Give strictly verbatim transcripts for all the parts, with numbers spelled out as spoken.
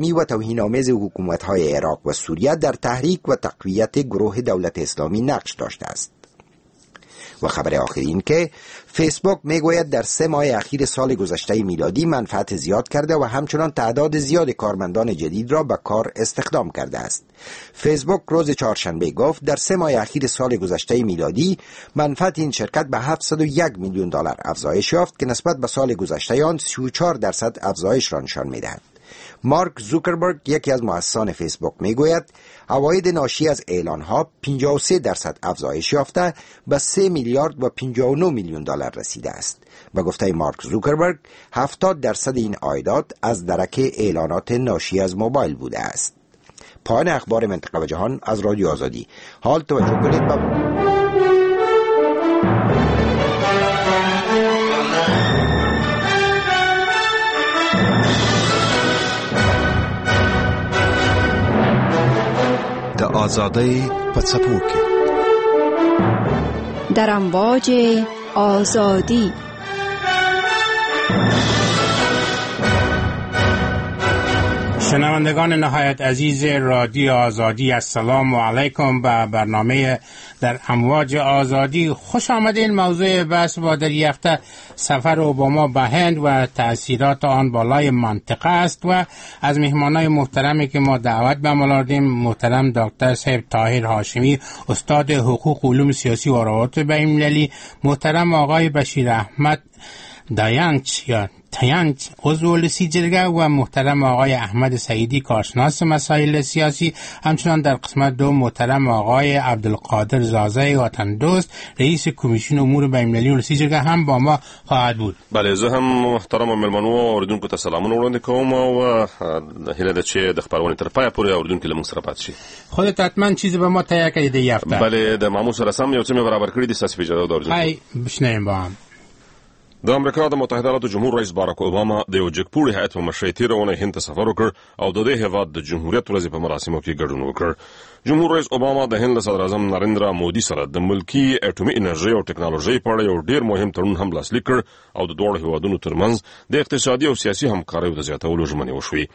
و توهین‌آمیز حکومت‌های عراق و سوریه در تحریک و تقویت گروه دولت اسلامی نقش داشته است. و خبر آخر این که فیسبوک میگوید در سه ماه اخیر سال گذشته میلادی منفعت زیاد کرده و همچنان تعداد زیاد کارمندان جدید را به کار استخدام کرده است. فیسبوک روز چهارشنبه گفت در سه ماه اخیر سال گذشته میلادی منفعت این شرکت به هفتصد و یک میلیون دلار افزایش یافت که نسبت به سال گذشته آن سی و چهار درصد افزایش را نشان میدهد. مارک زوکربرگ، یکی از مؤسسان فیسبوک، میگوید عواید ناشی از اعلانها پنجاه و سه درصد افزایش یافته به سه میلیارد و پنجاه و نه میلیون دلار رسیده است. به گفته مارک زوکربرگ هفتاد درصد این عایدات از درک اعلانات ناشی از موبایل بوده است. پایان اخبار منطقه و جهان از رادیو آزادی. حال توجه کنید به د آزادۍ په څپو کې در امواج آزادی. شنوندگان نهایت عزیز رادیو آزادی، السلام علیکم. به برنامه در امواج آزادی خوش آمدین. موضوع بحث با در هفته سفر اوباما به هند و تأثیرات آن بالای منطقه است و از مهمانای محترمی که ما دعوت به عمل آوردیم، محترم دکتر صاحب طاهر هاشمی، استاد حقوق علوم سیاسی و روابط بین‌المللی، محترم آقای بشیر احمد دایانچ یا تیانچ عضو ولسی جرگه و محترم آقای احمد سعیدی کارشناس مسائل سیاسی، همچنان در قسمت دو محترم آقای عبدالقادر زازه وطن دوست رئیس کمیسیون امور بین‌المللی ولسی جرگه هم با ما خواهد بود. بله، زه هم محترم مېلمنو او اوریدونکو ته سلامونه وړاندې کوم او هیله ده چې د خپرونې تر پایه پورې اوریدونکي له موږ سره پاتې شي. خودت حتما چیزی به ما تهیه کړی دی هفته. بله، د معمول سره سم یو څه مې برابر کړي دي، ستاسو په اجازه د اوریدونکو. های بشنویم با هم. د امریکا د متحده ایالاتو جمهور رئیس باراک اوباما د یو جګپوړي هیئت په مشرۍ تېره اونۍ هند ته سفر وکړ او د دې هېواد د جمهوریت ورځې په مراسمو کې ګډون وکړ. جمهور رئیس اوباما د هند له صدراعظم نریندرا مودي سره د ملکي اټومي انرژۍ او ټکنالوژۍ په اړه یو ډېر مهم تړون هم لاسلیک کړ او د دواړو هېوادونو ترمنځ د اقتصادي او سیاسي همکاریو د زیاتولو ژمنې وشوې.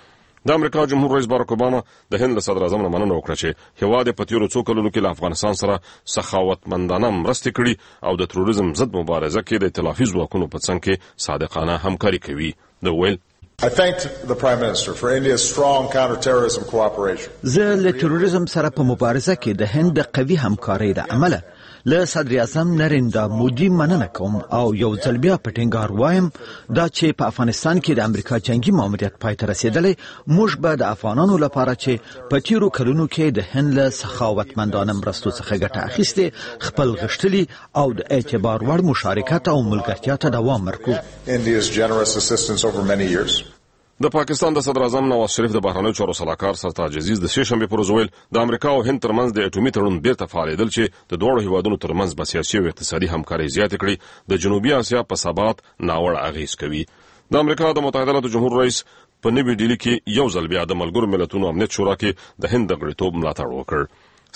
د امریکا جمهور رئیس باراک اوباما د هند له صدراعظم نه مننه وکړه چې هېواد یې په تېرو څو کلونو کې له افغانستان سره سخاوتمندانه مرستې کړي او د تروریزم ضد مبارزه کې د ائتلافي ځواکونو په څنګ کې صادقانه همکاري کوي. ده وویل: I thanked the Prime Minister for India's strong counterterrorism cooperation. زه له تروریزم سره په مبارزه کې د هند د قوي همکارۍ له امله له صدراعظم نریندرا مودي مننه کوم او یو ځل بیا په ټینګار وایم دا چې په افغانستان کې د امریکا جنګي ماموریت پای ته رسېدلی، موږ به د افغانانو لپاره چې په تېرو کلونو کې د هند له سخاوتمندانه مرستو څخه ګټه اخیستې، خپل غښتلي او د اعتبار وړ مشارکت او ملګرتیا ته دوام ورکړو. India's generous assistance over many years. د پاکستان د صدراعظم نواز شریف د بهرنیو چارو سلاکار سرتاج عزیز د سې شنبې پر ورځ وویل د امریکا او هند ترمنځ د اټومي تړون بیرته فعالېدل چې د دواړو هیوادونو ترمنځ به سیاسي او اقتصادي همکارۍ زیاتې کړي، د جنوبي اسیا په ثبات ناوړه اغېز کوي. د امریکا د متحده ایالاتو جمهور رئیس په نوي ډیلي کې یو ځل بیا د ملګرو ملتونو امنیت شورا کې د هند د غړیتوب ملاتړ وکړ.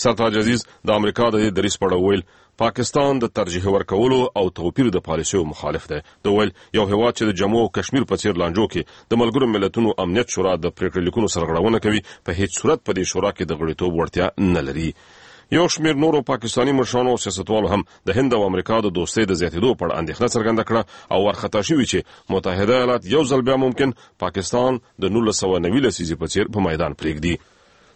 سرتاج عزیز د امریکا د دې دریځ په اړه وویل پاکستان د ترجیح ورکولو او توپیر د پالیسیو مخالف دی. ده وویل یو هیواد چې د جمو او کشمیر په څیر لانجو کې د ملګرو ملتونو امنیت شورا د پرېکړه لیکونو سرغړونه کوي، په هیڅ صورت په دې شورا کې د غړیتوب وړتیا نه لري. یو شمېر نورو پاکستاني مشرانو او سیاستوالو هم د هند او امریکا د دوستۍ د زیاتېدو په اړه اندېښنه څرګنده کړه او وارخطا شوي چې متحده ایالات یو ځل بیا ممکن پاکستان د نولس سوه نوي لسیزې په څیر په میدان پرېږدي.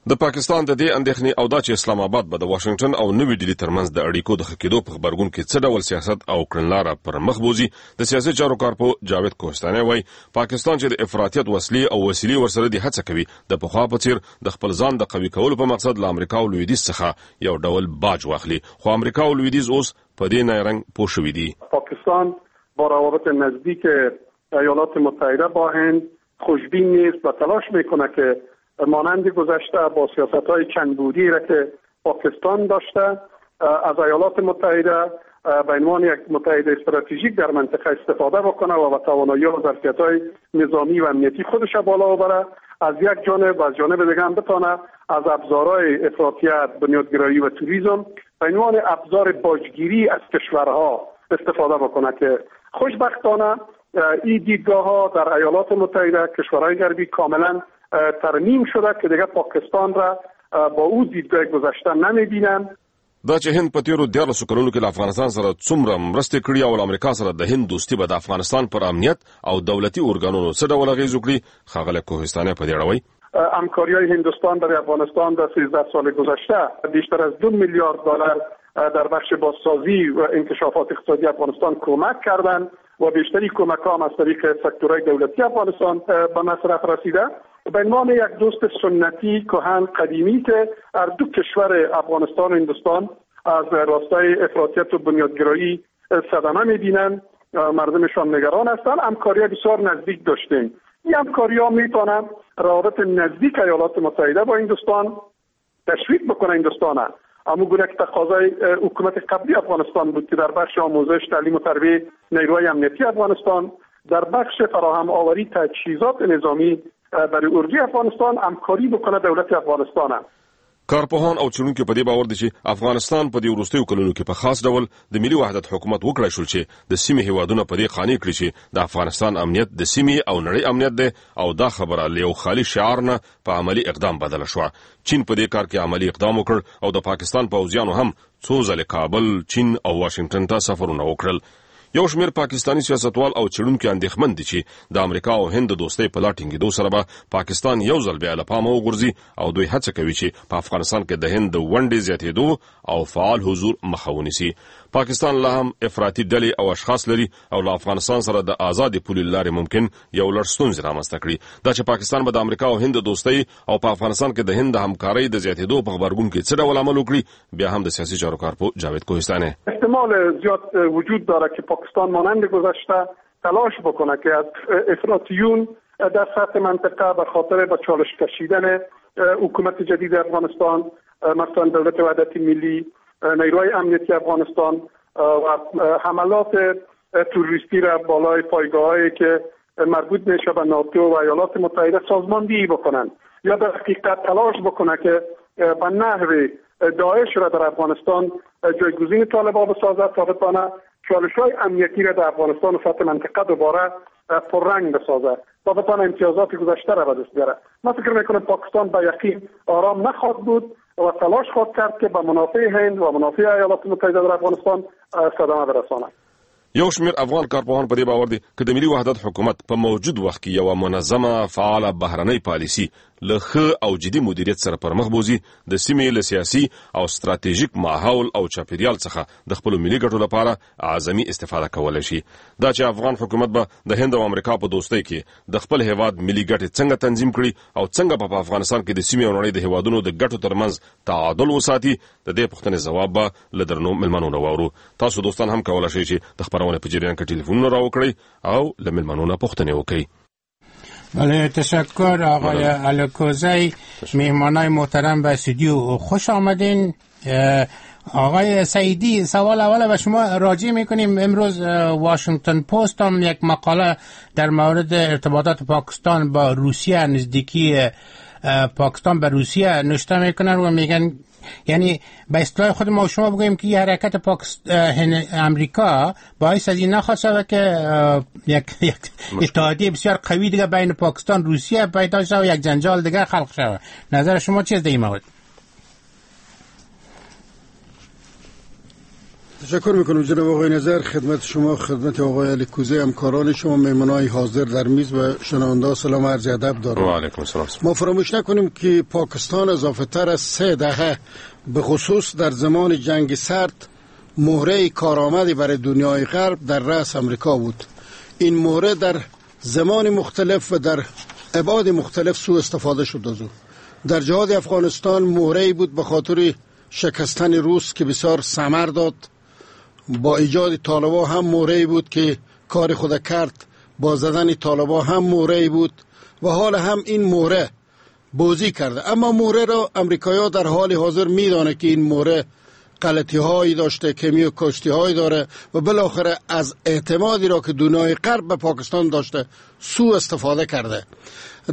د پاکستان د دې اندېښنې او دا چې اسلام آباد به د واشنګټن او نوي ډیلي ترمنځ د اړیکو د ښه کېدو په غبرګون کې څه ډول سیاست او کړنلاره پر مخ بوځي، د سیاسي چارو کارپوه جاوید کوهستانی وایي پاکستان چې د افراطیت وسلې او وسیلې ورسره دي هڅه کوي د پخوا په څیر د خپل ځان د قوي کولو په مقصد له امریکا او لویدیځ څخه یو ډول باج واخلي، خو امریکا او لویدیځ اوس په دې نیرنګ پوه شوي دي. پاکستان با روابط نزدیک ایالات متحده با هند خوشبین نیست و تلاش میکنه که مانند گذشته با سیاست‌های چندبعدی را که پاکستان داشته از ایالات متحده به عنوان یک متحد استراتژیک در منطقه استفاده بکنه و با توانایی و ظرفیت‌های نظامی و امنیتی خودش بالا ببره از یک جانب، و از جانب دیگه هم بتانه از ابزارهای افراطیت، بنیادگرایی و تروریسم به عنوان ابزار باجگیری از کشورها استفاده بکنه که خوشبختانه این دیدگاه‌ها در ایالات متحده، کشورهای غربی کاملا ترمیم شده که دیگه پاکستان را با او دیدگاه گذشته نمیبینن. دا چې هند په تیرو دیارلسو کلونو کې له افغانستان سره څومره مرستې کړي او له امریکا سره د هند دوستي به د افغانستان پر امنیت او دولتي ارګانونو څه ډول اغېز وکړي، ښاغلی کوهستانی په دې اړه وایي: همکاری‌های هندوستان برای افغانستان در سیزده سال گذشته بیشتر از دو میلیارد دلار در بخش بازسازی و انکشافات اقتصادی افغانستان کمک کردند و بیشتری کمک‌ها هم از طریق سکتورهای دولتی افغانستان به مصرف رسیده. به عنوان یک دوست سنتی کهن قدیمی که هر دو کشور افغانستان و هندوستان از راستای افراطیت و بنیادگرایی صدمه می‌بینند، مردمشان نگران هستند، همکاری بسیار نزدیک داشتیم. این همکاری‌ها می‌تونن روابط نزدیک ایالات متحده با هندوستان تشویق بکنه هندوستان، اما گونه که تقاضای حکومت قبلی افغانستان بود که در بخش آموزش، تعلیم و تربیه نیروهای امنیتی افغانستان، در بخش فراهم آوری تجهیزات نظامی برای اردوی افغانستان همکاری بکنه دولت افغانستان. کارپوهان او څېړونکي په دې باور دي چې افغانستان په دې وروستیو کلونو کې په خاص ډول د ملي وحدت حکومت وکړای شول چې د سیمې هیوادونه په دې قانع کړي چې د افغانستان امنیت د سیمې او نړۍ امنیت دی او دا خبره له یو خالي شعار نه په عملي اقدام بدله شوه. چین په دې کار کې عملي اقدام وکړ او د پاکستان پوځیانو هم څو ځلې کابل، چین او واشنګټن ته سفرونه وکړل. یو شمېر پاکستاني سیاستوال او څېړونکي اندېښمن دي چې د امریکا او هند د دوستۍ په لا ټینګېدو سره به پاکستان یو ځل بیا له پامه وغورځي او دوی هڅه کوي چې په افغانستان کې د هند د ونډې زیاتېدو او فعال حضور مخه ونیسي. پاکستان لا هم افراطي ډلې او اشخاص لري او له افغانستان سره د ازادې پولې له لارې ممکن یو لړ ستونزې رامنځته کړي. دا چې پاکستان به د امریکا او هند د دوستۍ او په افغانستان کې د هند د همکارۍ د زیاتېدو په غبرګون کې څه ډول عمل وکړي، بیا هم د سیاسي چارو کارپوه جاوید کوهستانی: احتمال زیاد وجود داره که پاکستان مانند گذشته تلاش بکنه که از افراطیون در سطح منطقه به خاطر به چالش کشیدن حکومت جدید افغانستان، مثلا دولت وحدت ملی، نیروهای امنیتی افغانستان و حملات تروریستی را بالای پایگاه‌هایی که مربوط میشه به ناتو و ایالات متحده سازماندهی بکنن یا در حقیقت تلاش بکنه که به نحو داعش را در افغانستان جایگزین طالبان بسازد تا بتانه چالش‌های امنیتی را در افغانستان و سطح منطقه دوباره پررنگ بسازد تا بتانه امتیازات گذشته را به دست بیاره. من فکر میکنم پاکستان به یقین آرام نخواهد بود و تلاش خواهد کرد که به منافع هند و منافع ایالات متحده در افغانستان صدمه برساند. یو شمېر افغان کارپوهان په دې باور دي که د ملي وحدت حکومت په موجود وخت کې یوه منظمه فعاله بهرنۍ پالیسي له ښه او جدي مدیریت سره پرمخ بوځي، د سیمې له سیاسي او ستراتیژیک ماحول او چاپیریال څخه د خپلو ملي ګټو لپاره اعظمي استفاده کولی شي. دا چې افغان حکومت به د هند او امریکا په دوستۍ کې د خپل هیواد ملي ګټې څنګه تنظیم کړي او څنګه به په افغانستان کې د سیمې او نړۍ د هیوادونو د ګټو ترمنځ تعادل وساتي، د دې پوښتنې ځواب به له درنو مېلمنو نه واورو. تاسو دوستان هم کولی شئ چې د خپرونې په جریان کې ټلیفونونه راوکړئ او له مېلمنو نه پوښتنې وکړئ. بله، تشکر آقای الکوزی، مهمانای محترم به استودیو خوش آمدین. آقای سعیدی، سوال اول به شما راجع میکنیم. امروز واشنگتن پست هم یک مقاله در مورد ارتباطات پاکستان با روسیه، نزدیکی پاکستان به روسیه نوشته میکنن و میگن، یعنی به اصطلاح خود ما شما بگوییم که حرکت پاکستان امریکا باعث از این نخواهد شد که یک یک اتحادیه بسیار قوی دیگه بین پاکستان روسیه پیدا شود و یک جنجال دیگه خلق شود. نظر شما چیست در این مورد؟ تشکر میکنم جناب آقای نظر، خدمت شما، خدمت آقای الکوزی، همکاران شما، مهمانای حاضر در میز و شنونده سلام عرض ادب دارم. و علیکم السلام. ما فراموش نکنیم که پاکستان اضافه تر از سه دهه به خصوص در زمان جنگ سرد مهره کارآمدی برای دنیای غرب در رأس امریکا بود. این مهره در زمان مختلف و در ابعاد مختلف سوء استفاده شد از او. در جهاد افغانستان مهره بود به خاطر شکستن روس که بسیار ثمر داد. با ایجاد طالبان هم مهره بود که کار خود کرد، با زدن طالبان هم مهره بود و حال هم این مهره بازی کرده. اما مهره را امریکایی‌ها در حال حاضر میدانه که این مهره غلطی هایی داشته، کمی و کاشتی هایی داره و بالاخره از اعتمادی را که دنیای غرب به پاکستان داشته سوء استفاده کرده.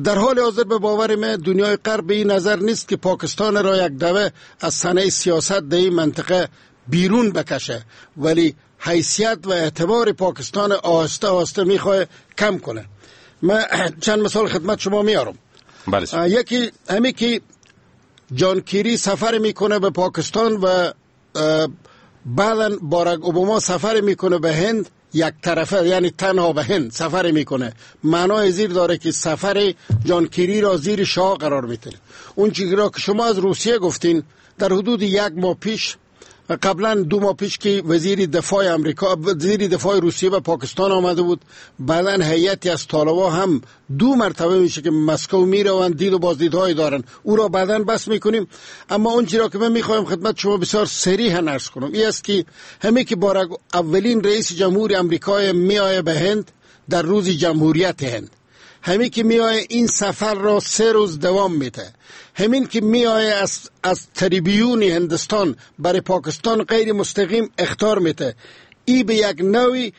در حال حاضر به باور من دنیای غرب به این نظر نیست که پاکستان را یک دوه از صحنه سیاست در این منطقه بیرون بکشه، ولی حیثیت و اعتبار پاکستان آهسته آهسته میخواه کم کنه. من چند مثال خدمت شما میارم. بله. یکی همی که جان کیری سفر میکنه به پاکستان و بعدا باراک اوباما سفر میکنه به هند، یک طرفه، یعنی تنها به هند سفر میکنه، معنای زیر داره که سفر جان کیری را زیر شاه قرار میده. اون چیزی را که شما از روسیه گفتین، در حدود یک ماه پیش، قبلا دو ماه پیش که وزیر دفاع امریکا، وزیر دفاع روسیه به پاکستان آمده بود، بعدا هیئتی از طالبان هم دو مرتبه میشه که مسکو میروند، دید و بازدیدهای دارن، او را بعدا بس میکنیم. اما اون چیزی را که من میخوایم خدمت شما بسیار صریح عرض کنم این است که همه که باراک اولین رئیس جمهور امریکا میآید به هند در روز جمهوریت هند، همین که میآید این سفر را سه روز دوام میده، همین که میآید از از تریبیون هندستان برای پاکستان غیر مستقیم اخطار میده، ای به یک نوعی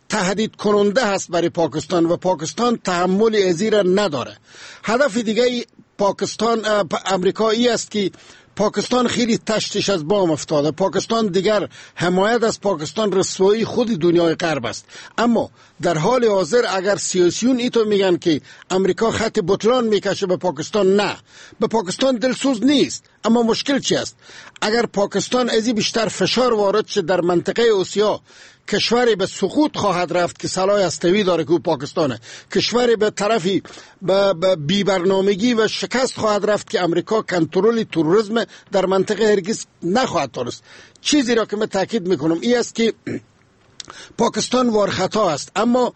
تهدید کننده هست برای پاکستان و پاکستان تحمل ازی را نداره. هدف دیگه پاکستان امریکا ای است که پاکستان خیلی تشتش از بام افتاده، پاکستان دیگر حمایت از پاکستان رسوایی خود دنیای غرب است. اما در حال حاضر اگر سیاسیون ایتو میگن که امریکا خط بطلان میکشه به پاکستان، نه، به پاکستان دلسوز نیست. اما مشکل چی است؟ اگر پاکستان ازی بیشتر فشار وارد شه در منطقه آسیا، کشوری به سقوط خواهد رفت که سلاح هسته‌ای داره که او پاکستانه، کشوری به طرفی به بی برنامگی و شکست خواهد رفت که امریکا کنترل تروریسم در منطقه هرگز نخواهد داشت. چیزی را که من تاکید میکنم این است که پاکستان وارخطا است، اما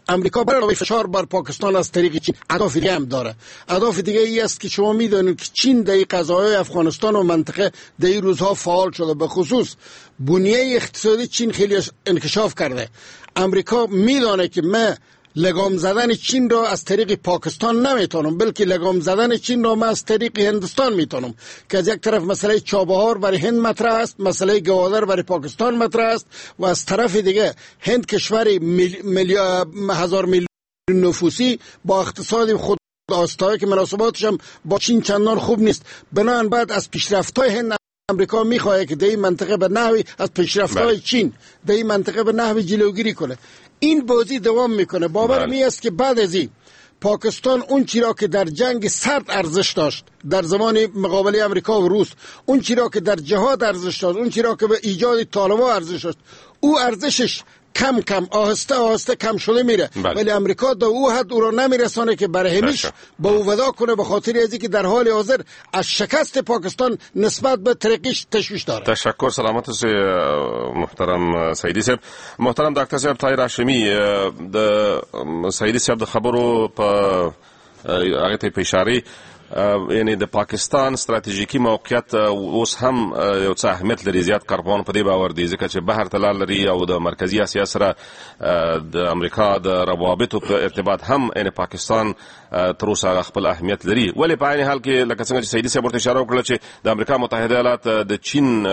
امریکا برای فشار بر پاکستان از طریق چین اهداف دیگه هم داره. اهداف دیگه ای است که شما میدونید که چین در قضایای افغانستان و منطقه در این روزها فعال شده، به خصوص بنیه اقتصادی چین خیلی انکشاف کرده. امریکا میدانه که من لگام زدن چین را از طریق پاکستان نمیتونم، بلکه لگام زدن چین را من از طریق هندستان میتونم، که از یک طرف مسئله چابهار برای هند مطرح است، مسئله گوادر برای پاکستان مطرح است، و از طرف دیگه هند کشور میل... میل... هزار میلیون نفوسی با اقتصاد خود آستایی که مناسباتش هم با چین چندان خوب نیست. بنابراین بعد از پیشرفت‌های هند امریکا میخواد که در این منطقه به نحوی از پیشرفت‌های چین در این منطقه به نحوی جلوگیری کنه. این بازی دوام میکنه. باور می است که بعد از این پاکستان اون چیزی را که در جنگ سرد ارزش داشت در زمان مقابله امریکا و روس، اون چیزی را که در جهاد ارزش داشت، اون چیزی را که به ایجاد طالبان ارزش داشت، او ارزشش کم کم آهسته آهسته کم شده میره. بله. ولی امریکا در او حد او را نمیرسانه که برای همیش با او ودا کنه، به خاطر از اینکه در حال حاضر از شکست پاکستان نسبت به ترقیش تشویش داره. تشکر، سلامت اوسئ محترم سعیدی صاحب. محترم ډاکټر صاحب طاهر هاشمي، د سعیدي صاحب د خبرو په هغه ته په اشاره، یعنی د پاکستان ستراتیژیکي موقعیت اوس هم یو څه اهمیت لري. زیات کارپوهان په دې باور دي ځکه چې بحر ته لار لري او د مرکزي اسیا سره د امریکا د روابطو په ارتباط هم یعنی پاکستان تر اوسه هغه خپل اهمیت لري. ولې په عین حال کې لکه څنګه چې سعیدي صاحب ورته اشاره وکړه چې د امریکا متحده ایالات د چین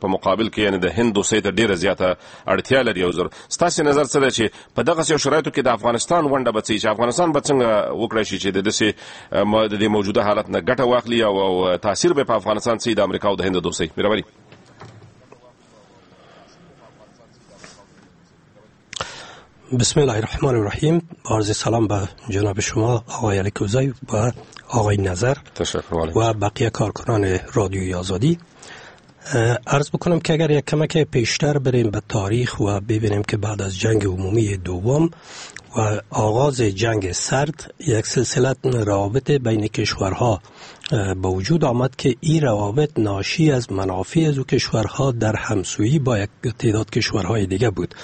په مقابل کې یعنی د هند دوستۍ ته ډیره زیاته اړتیا لري. او زر ستاسو نظر څه دی چې په دغسې یو شرایطو کې د افغانستان ونډه به څه وي، چې افغانستان به څنګه وکړای شي چې د داسې د دې موجوده حالت نه ګټه واخلي او او تاثیر به په افغانستان څه د امریکا او د هند دوستۍ؟ مهرباني. بسم الله الرحمن الرحیم. با عرض سلام به جناب شما آقای الکوزی و آقای نظر تشکر و بقیه کارکنان رادیوی آزادی. عرض بکنم که اگر یک کمک پیشتر بریم به تاریخ و ببینیم که بعد از جنگ عمومی دوم و آغاز جنگ سرد یک سلسله روابط بین کشورها به وجود آمد که این روابط ناشی از منافع از او کشورها در همسویی با یک تعداد کشورهای دیگه بود.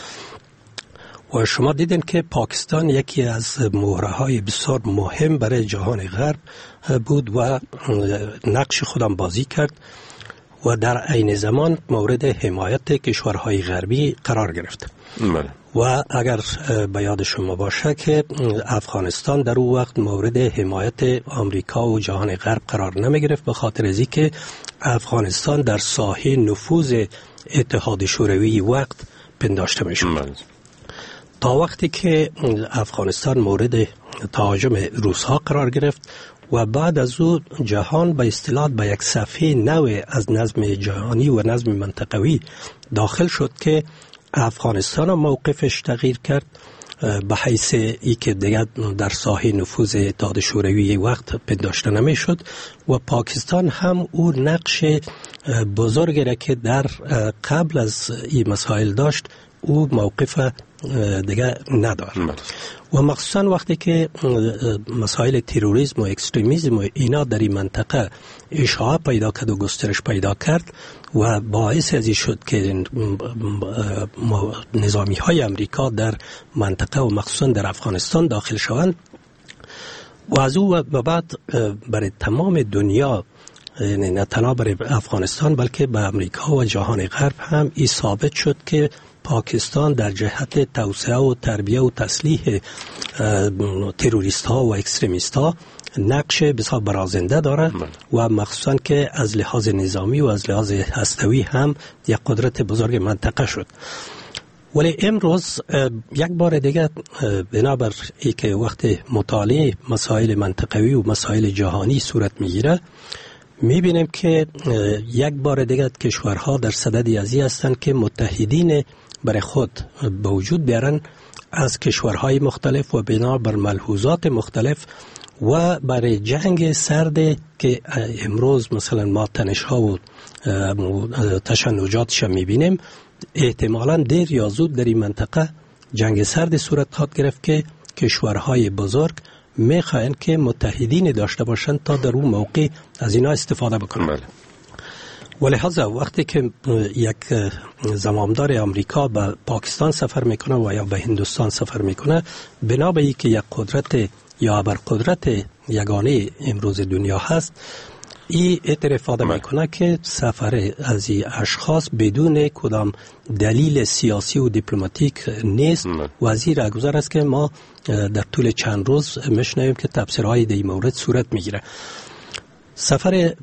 و شما دیدین که پاکستان یکی از مهره‌های بسیار مهم برای جهان غرب بود و نقش خودم بازی کرد و در عین زمان مورد حمایت کشورهای غربی قرار گرفت. بله. و اگر به یاد شما باشه که افغانستان در او وقت مورد حمایت آمریکا و جهان غرب قرار نمی گرفت، به خاطر از اینکه افغانستان در ساحه نفوذ اتحاد شوروی وقت پنداشته می شد. بله. تا وقتی که افغانستان مورد تهاجم روس‌ها قرار گرفت و بعد از او جهان به اصطلاح به یک صفحه نو از نظم جهانی و نظم منطقوی داخل شد که افغانستان موقفش تغییر کرد به حیث ای که دیگر در ساحه نفوذ اتحاد شوروی وقت پنداشته نمیشد و پاکستان هم او نقش بزرگی را که در قبل از این مسائل داشت او موقف دیگه نداره. و مخصوصا وقتی که مسائل تروریسم و اکستریمیسم و اینا در این منطقه اشاعه پیدا کرد و گسترش پیدا کرد و باعث از این شد که نظامی های امریکا در منطقه و مخصوصا در افغانستان داخل شوند و از او و بعد برای تمام دنیا، یعنی نه تنها برای افغانستان بلکه به امریکا و جهان غرب هم این ثابت شد که پاکستان در جهت توسعه و تربیه و تسلیح تروریست ها و اکستریمیست ها نقش بسیار برازنده داره و مخصوصا که از لحاظ نظامی و از لحاظ هستوی هم یک قدرت بزرگ منطقه شد. ولی امروز یک بار دیگه بنابر اینکه وقت مطالعه مسائل منطقوی و مسائل جهانی صورت میگیره، میبینیم که یک بار دیگه کشورها در صدد ازی هستند که متحدین برای خود به وجود بیارن از کشورهای مختلف و بنابر ملحوظات مختلف و برای جنگ سرد که امروز مثلا ما تنش‌ها و تشنجاتش میبینیم، احتمالاً دیر یا زود در این منطقه جنگ سرد صورت خواهد گرفت که کشورهای بزرگ میخواهند که متحدین داشته باشند تا در اون موقع از اینا استفاده بکنند. بله. ولهذا وقتی که یک زمامدار امریکا به پاکستان سفر میکنه و یا به هندوستان سفر میکنه، بنا به اینکه یک قدرت یا ابرقدرت یگانه امروز دنیا هست، این اعتراف میکنه که سفر از این اشخاص بدون کدام دلیل سیاسی و دیپلماتیک نیست و از این رهگذر است که ما در طول چند روز میشنویم که تبصره‌های در این مورد صورت میگیره. سفر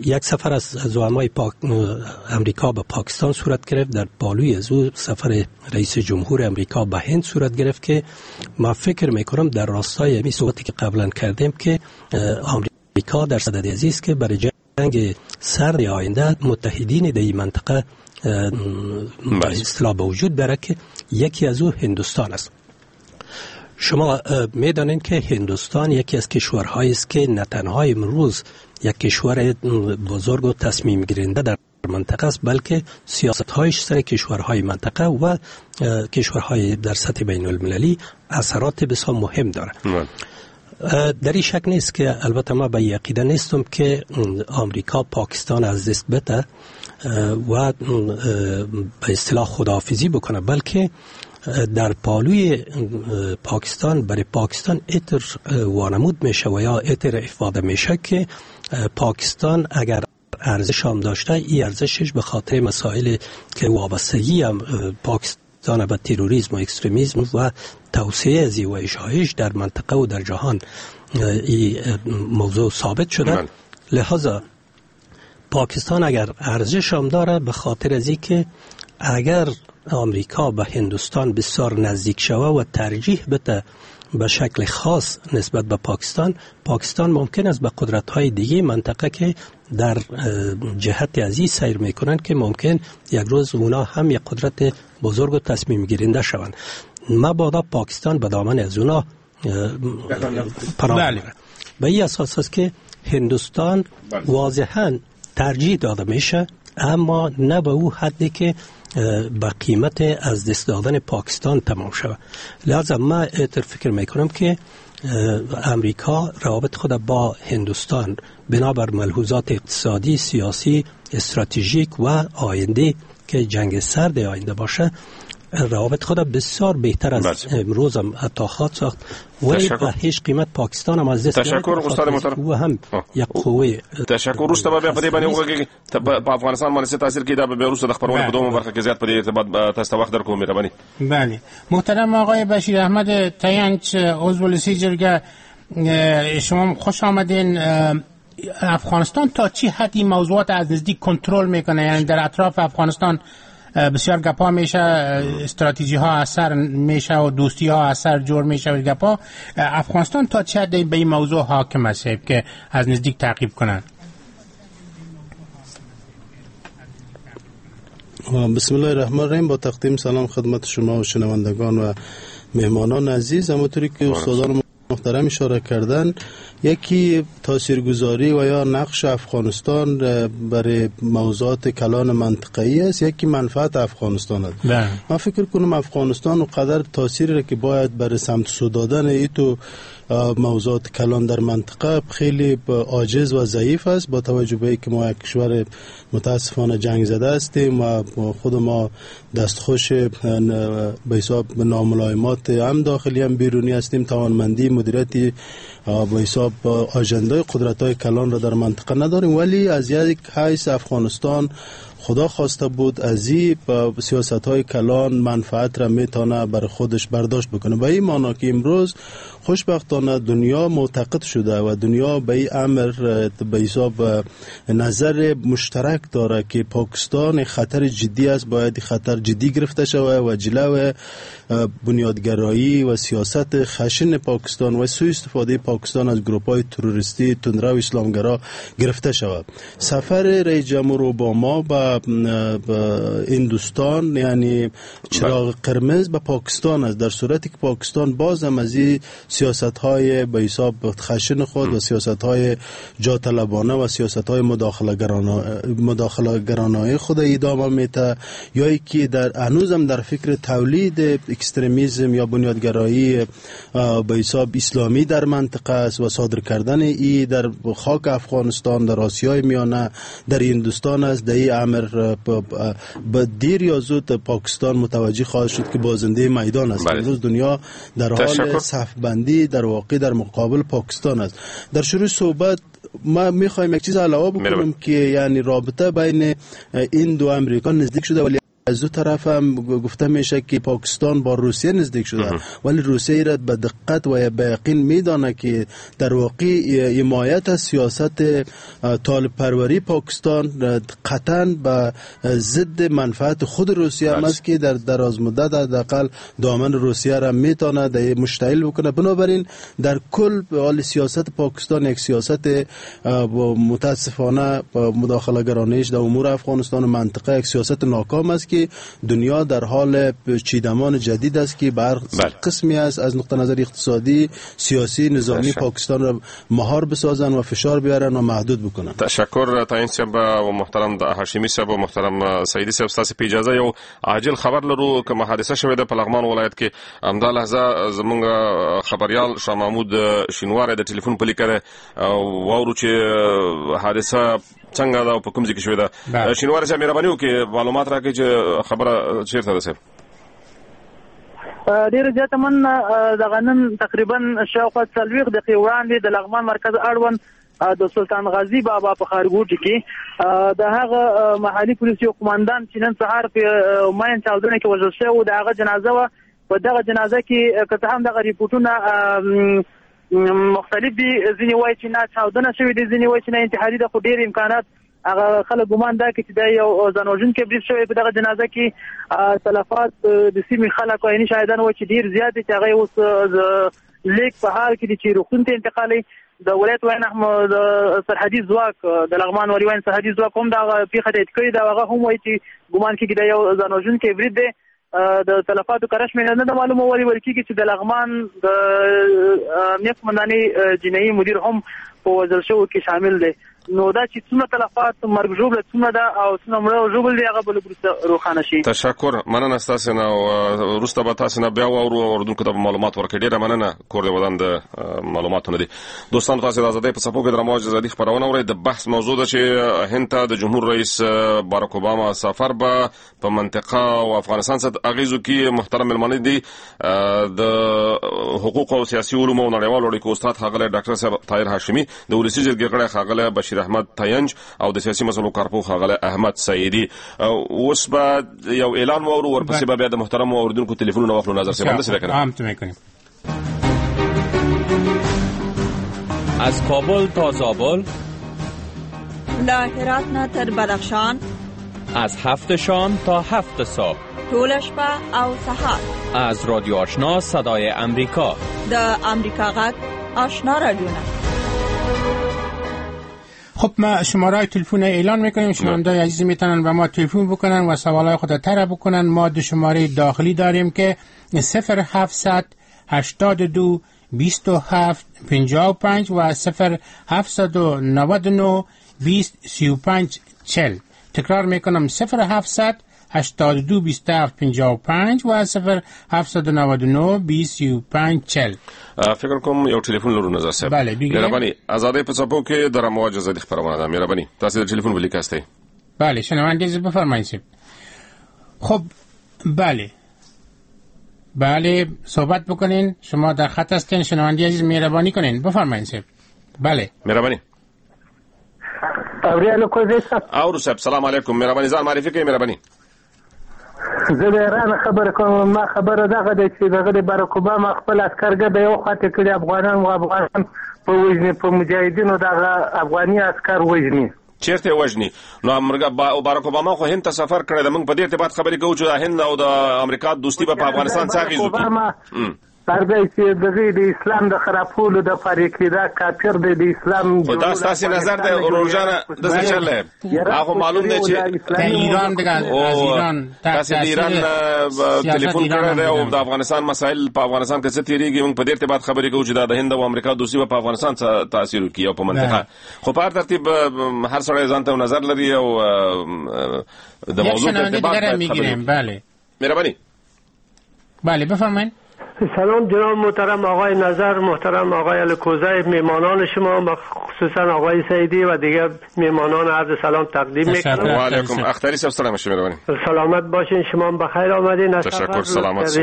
یک سفر از زعمای پاک... امریکا به پاکستان صورت گرفت، در پالوی از او سفر رئیس جمهور امریکا به هند صورت گرفت که ما فکر میکنم در راستای همین صحبتی که قبلا کردیم که امریکا در صدد عزیز که برای جنگ سرد آینده متحدین در این منطقه به اصطلاح به وجود بره که یکی از او هندوستان است. شما میدانید که هندوستان یکی از کشورهایی است که نه تنها امروز یک کشور بزرگ و تصمیم گیرنده در منطقه است، بلکه سیاست‌هایش سر کشورهای منطقه و کشورهای در سطح بین المللی اثرات بسیار مهم داره. در این شک نیست که البته ما به عقیده نیستم که آمریکا پاکستان از دست بده و به اصطلاح خداحافظی بکنه، بلکه در پالوی پاکستان برای پاکستان اتر وانمود میشه و یا اتر افاده میشه که پاکستان اگر ارزش هم داشته، این ارزشش به خاطر مسائل که وابستگی هم پاکستان به تروریسم و اکستریمیسم و توسعه ازی و اشاعش در منطقه و در جهان این موضوع ثابت شده. لذا پاکستان اگر ارزش هم داره به خاطر ازی که اگر آمریکا به هندوستان بسیار نزدیک شوه و ترجیح بده به شکل خاص نسبت به پاکستان، پاکستان ممکن است به قدرت‌های دیگه منطقه که در جهت ازی سیر میکنن که ممکن یک روز اونا هم یک قدرت بزرگ و تصمیم گیرنده شوند، مبادا پاکستان به دامن از اونا پناه بره. به این اساس است که هندوستان واضحاً ترجیح داده میشه، اما نه به او حدی که به قیمت از دست دادن پاکستان تمام شود. لذا ما اتر فکر میکنم که امریکا روابط خود با هندوستان بنابر ملحوظات اقتصادی، سیاسی، استراتژیک و آینده که جنگ سرد آینده باشه، روابط خود بسیار بهتر از امروز هم حتی خواهد ساخت، ولی به هیچ قیمت پاکستان هم از دست تشکر استاد محترم او هم یک قوه. تشکر. وروسته به بیا په دې باندې وغږېږي په افغانستان باندې څه تاثیر کوي، دا به بیا وروسته د خپرونې په دومه برخه کې زیات په دې ارتباط تاسو ته وخت درکوم. مهرباني. بله محترم آقای بشیر احمد تینچ عضو ولسی جرگه، شما خوش آمدین. افغانستان تا چی حد این موضوعات از نزدیک کنترل میکنه؟ یعنی در اطراف افغانستان بسیار گپا میشه، استراتژی ها اثر میشه و دوستی ها اثر جور میشه و گپا. افغانستان تا چه حد به این موضوع حاکم است که از نزدیک تعقیب کنند؟ بسم الله الرحمن الرحیم. با تقدیم سلام خدمت شما و شنوندگان و مهمانان عزیز. همونطوری که استادان محترم اشاره کردن، یکی تاثیرگذاری و یا نقش افغانستان برای موضوعات کلان منطقه‌ای است، یکی منفعت افغانستان است. من فکر کنم افغانستان قدر تاثیری را که باید برای سمت سو دادن ایتو موضوعات کلان در منطقه خیلی عاجز و ضعیف است، با توجه به اینکه ما یک کشور متاسفانه جنگ زده هستیم و خود ما دستخوش به حساب ناملایمات هم داخلی هم بیرونی هستیم، توانمندی مدیریتی به حساب آجندای قدرت‌های کلان را در منطقه نداریم. ولی از یک حیث افغانستان خدا خواسته بود از این سیاست‌های کلان منفعت را میتونه بر خودش برداشت بکنه، به این معنا که امروز خوشبختانه دنیا معتقد شده و دنیا به این امر به حساب نظر مشترک داره که پاکستان خطر جدی است، باید خطر جدی گرفته شود و جلو بنیادگرایی و سیاست خشن پاکستان و سوء استفاده پاکستان از گروپ‌های تروریستی تندرو اسلامگرا گرفته شود. سفر رئیس جمهور اوباما به هندوستان یعنی چراغ قرمز به پاکستان است، در صورتی که پاکستان باز هم از این سیاست‌های به حساب خشن خود و سیاست‌های جاطلبانه و سیاست‌های مداخله‌گرانه خود ادامه میده، یا اینکه در هنوز هم در فکر تولید اکستریمیزم یا بنیادگرایی به حساب اسلامی در منطقه است و صادر کردن ای در خاک افغانستان، در آسیای میانه، در هندوستان است. در این امر به دیر یا زود پاکستان متوجه خواهد شد که بازنده میدان است. امروز دنیا در حال صف بندی در واقع در مقابل پاکستان است. در شروع صحبت ما میخوایم یک چیز علاوه بکنم که یعنی رابطه بین این دو امریکا نزدیک شده، ولی از دو طرف هم گفته میشه که پاکستان با روسیه نزدیک شده، ولی روسیه را به دقت و به یقین میدانه که در واقع حمایت از سیاست طالب پروری پاکستان قطعا به ضد منفعت خود روسیه هم است که در دراز مدت حداقل دامن روسیه را میتونه در مشتعل بکنه. بنابراین در کل حال سیاست پاکستان یک سیاست متاسفانه مداخله گرانش در امور افغانستان و منطقه یک سیاست ناکام است که دنیا در حال چیدمان جدید است که بر قسمی است از نقطه نظر اقتصادی، سیاسی، نظامی پاکستان را مهار بسازن و فشار بیارن و محدود بکنن. تشکر تعین صاحب و محترم هاشمی صاحب و محترم سعیدی صاحب. ستاسو په اجازه یو عاجل خبر لرو کومه حادثه شوې ده په لغمان ولایت کې. همدا لحظه زمونږ خبریال شاه محمود شینواری د ټلیفون په لیکه ده، واورو چې حادثه څنګه ده او په کوم ځای کې شوې ده. شینواری صاحب مهرباني وکړئ معلومات راکړئ چې خبره چیرته ده صاحب. ډېره زیاته مننه. دغه نن تقریبا شاوخوا څلوېښت دقیقې وړاندې د لغمان مرکز اړوند د سلطان غازي بابا په ښارګوټي کې د هغه محلي پولیس یو قومندان چې نن سهار په ماین چاودنه کې وژل شوی و، د هغه جنازه وه. په دغه جنازه کې که څه هم دغه رپورټونه مختلف دي، ځینې وایي چې نه چاودنه شوې دي، ځینې وایي چې نه انتحاري ده، خو ډېر امکانات هغه خلک ګمان دا کوي چې دا یو ځانوژونکی برید شوی. په دغه جنازه کې تلفات د سیمې خلک او عیني شاهدان وایي چې ډېر زیات دي، چې هغه اوس د لیک په حال کې دي چې روغتون ته انتقالوي. د ولایت وین د سرحدي ځواک د لغمان والي وین سرحدي ځواک هم دغه پېښه تایید کړې ده، هغه هم وایي چې ګمان کېږي دا یو ځانوژونکی برید دی. د تلفاتو کره شمېره نه ده معلومه، ولې ویل کېږي چې د لغمان د امنیت قومندانۍ جنایي مدیر هم په وژل شوو کې شامل دی. نو دا چې څومره تلفات مرګ ژوبله څومره ده او څومره مړه او ژوبل دي هغه به لږ وروسته روښانه شي. تشکر، مننه ستاسو نه. وروسته به تاسو نه بیا واورو او اورېدونکو ته به معلومات ورکړي. ډېره مننه، کور دې ودان د معلوماتو نه دي. دوستانو تاسو د ازادۍ په څپو کې د رمواج ازادي خپرونه اورئ. د بحث موضوع ده چې هند ته د جمهور رئیس باراک اوباما سفر به په منطقه او افغانستان څه اغېزو کې. محترم مېلمانه دي د حقوق او سیاسي علومو او نړیوالو اړیکو استاد ښاغلی ډاکټر صاحب طاهر هاشمي، د ولسي جرګې غړی ښاغلی بشیر احمد تاینج او د سیاسي مسلو کارپوه ښاغلی احمد سعیدي. اوس به یو اعلان واورو، ورپسې به بیا د محترمو اورېدونکو تلیفونونه واخلو. نظر صاحب همداسې ده که نه؟ هم میکنیم. از کابل تا زابل، له هرات نه تر بدخشان، از هفت شام تا هفت صبح، ټوله شپه او سهار، از رادیو آشنا صدای امریکا، د امریکا غږ آشنا رادیو. خب ما شماره تلفن اعلان میکنیم، شنونده‌های عزیز میتونن به ما تلفن بکنن و سوالای خود طرح بکنن. ما دو شماره داخلی داریم که صفر هفتصد هشتاد و دو بیست و هفت پنجاه و پنج و صفر هفتصد و نود و نه بیست سی و پنج چهل. تکرار میکنم صفر هفتصد هشتاد و دو بیست و هفت پنجاه و پنج و صفر هفتصد و نود و نه بیست سی و پنج چهل. فکر کوم یو ټلیفون لرو نظر صاحب. بله مهرباني. ازادۍ په څپو کې د رمواج ازادي خپرونه ده. مهرباني تاسو د ټلیفون په لیکه یاستئ. بله شنونده عزیز بفرمایید. خب بله بله صحبت بکنین، شما در خط هستین شنونده عزیز، مهربانی کنین بفرمایید. بله مهرباني. اورو صاحب سلام علیکم، مهرباني ځان معرفي کړئ. مهرباني. زه د ایران خبره کوم. ما خبره دغه ده چې دغه د باراک اوباما خپل عسکر ګډه یو خواته کړي، افغانان و افغانان په وژني، په مجاهدینو دغه افغاني عسکر وژني. چیرته وژني؟ نو امریکا باراک اوباما خو هند ته سفر کړی دی، موږ په دې ارتباط خبرې کوو چې هند او د امریکا دوستي به په افغانستان څه اغېز وکړي. هرځای چې دغه د اسلام د خرابولو د پاره کې دا کافر دی د اسلام. خو دا ستاسې نظر دی ورور جانه، داسې چل دی. هغه معلوم دی چې ایران دیگه از ایران تاسې د ایران تلیفون کړی دی او د افغانستان مسایل په افغانستان کې څه تېرېږي، موږ په دې ارتباط خبرې کوو چې دا د هند او امریکا دوستي به په افغانستان څه تاثیر وکړي او په منطقه. خو په هر ترتیب هر سړی ځان ته نظر لري او د موضوع په ارتباط باید خبرې. بله مهرباني. بله بفرمایید. سلام جناب محترم آقای نظر، محترم آقای الکوزی، میمانان شما و خصوصا آقای سعیدی و دیگر میمانان عرض سلام تقدیم میکنم. و علیکم. اختری صاحب سلام شما مهربانی. سلامت باشین، شما بخیر آمدین. تشکر، سلامت.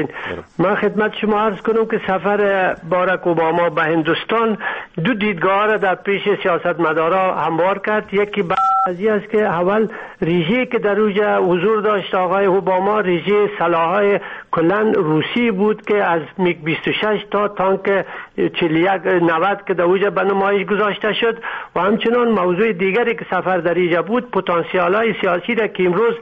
من خدمت شما عرض کنم که سفر باراک اوباما به هندوستان دو دیدگاه را در پیش سیاستمدارا هموار کرد. یکی بعضی است که اول ریشه که در اوج حضور داشت آقای اوباما، ریشه سلاح‌های کلا روسی بود که از میگ بیست و شش تا تانک چهل و یک نود که در اوج به نمایش گذاشته شد. و همچنان موضوع دیگری که سفر در اینجا بود، پتانسیال‌های سیاسی را که امروز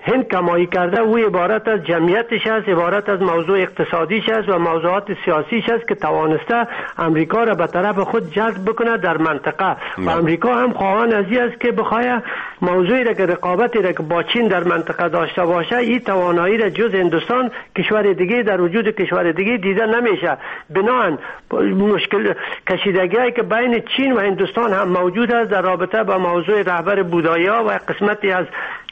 هند کمایی کرده، او عبارت از جمعیتش است، عبارت از موضوع اقتصادیش است و موضوعات سیاسیش است که توانسته امریکا را به طرف خود جذب بکنه در منطقه. و امریکا هم خواهان از این است که بخواه موضوعی را که رقابتی را که با چین در منطقه داشته باشه، این توانایی را جز هندوستان کشور دیگه در وجود کشور دیگه دیده نمیشه. بناهن مشکل کشیدگی‌هایی که بین چین و هندوستان هم موجود است در رابطه با موضوع رهبر بودایا و قسمتی از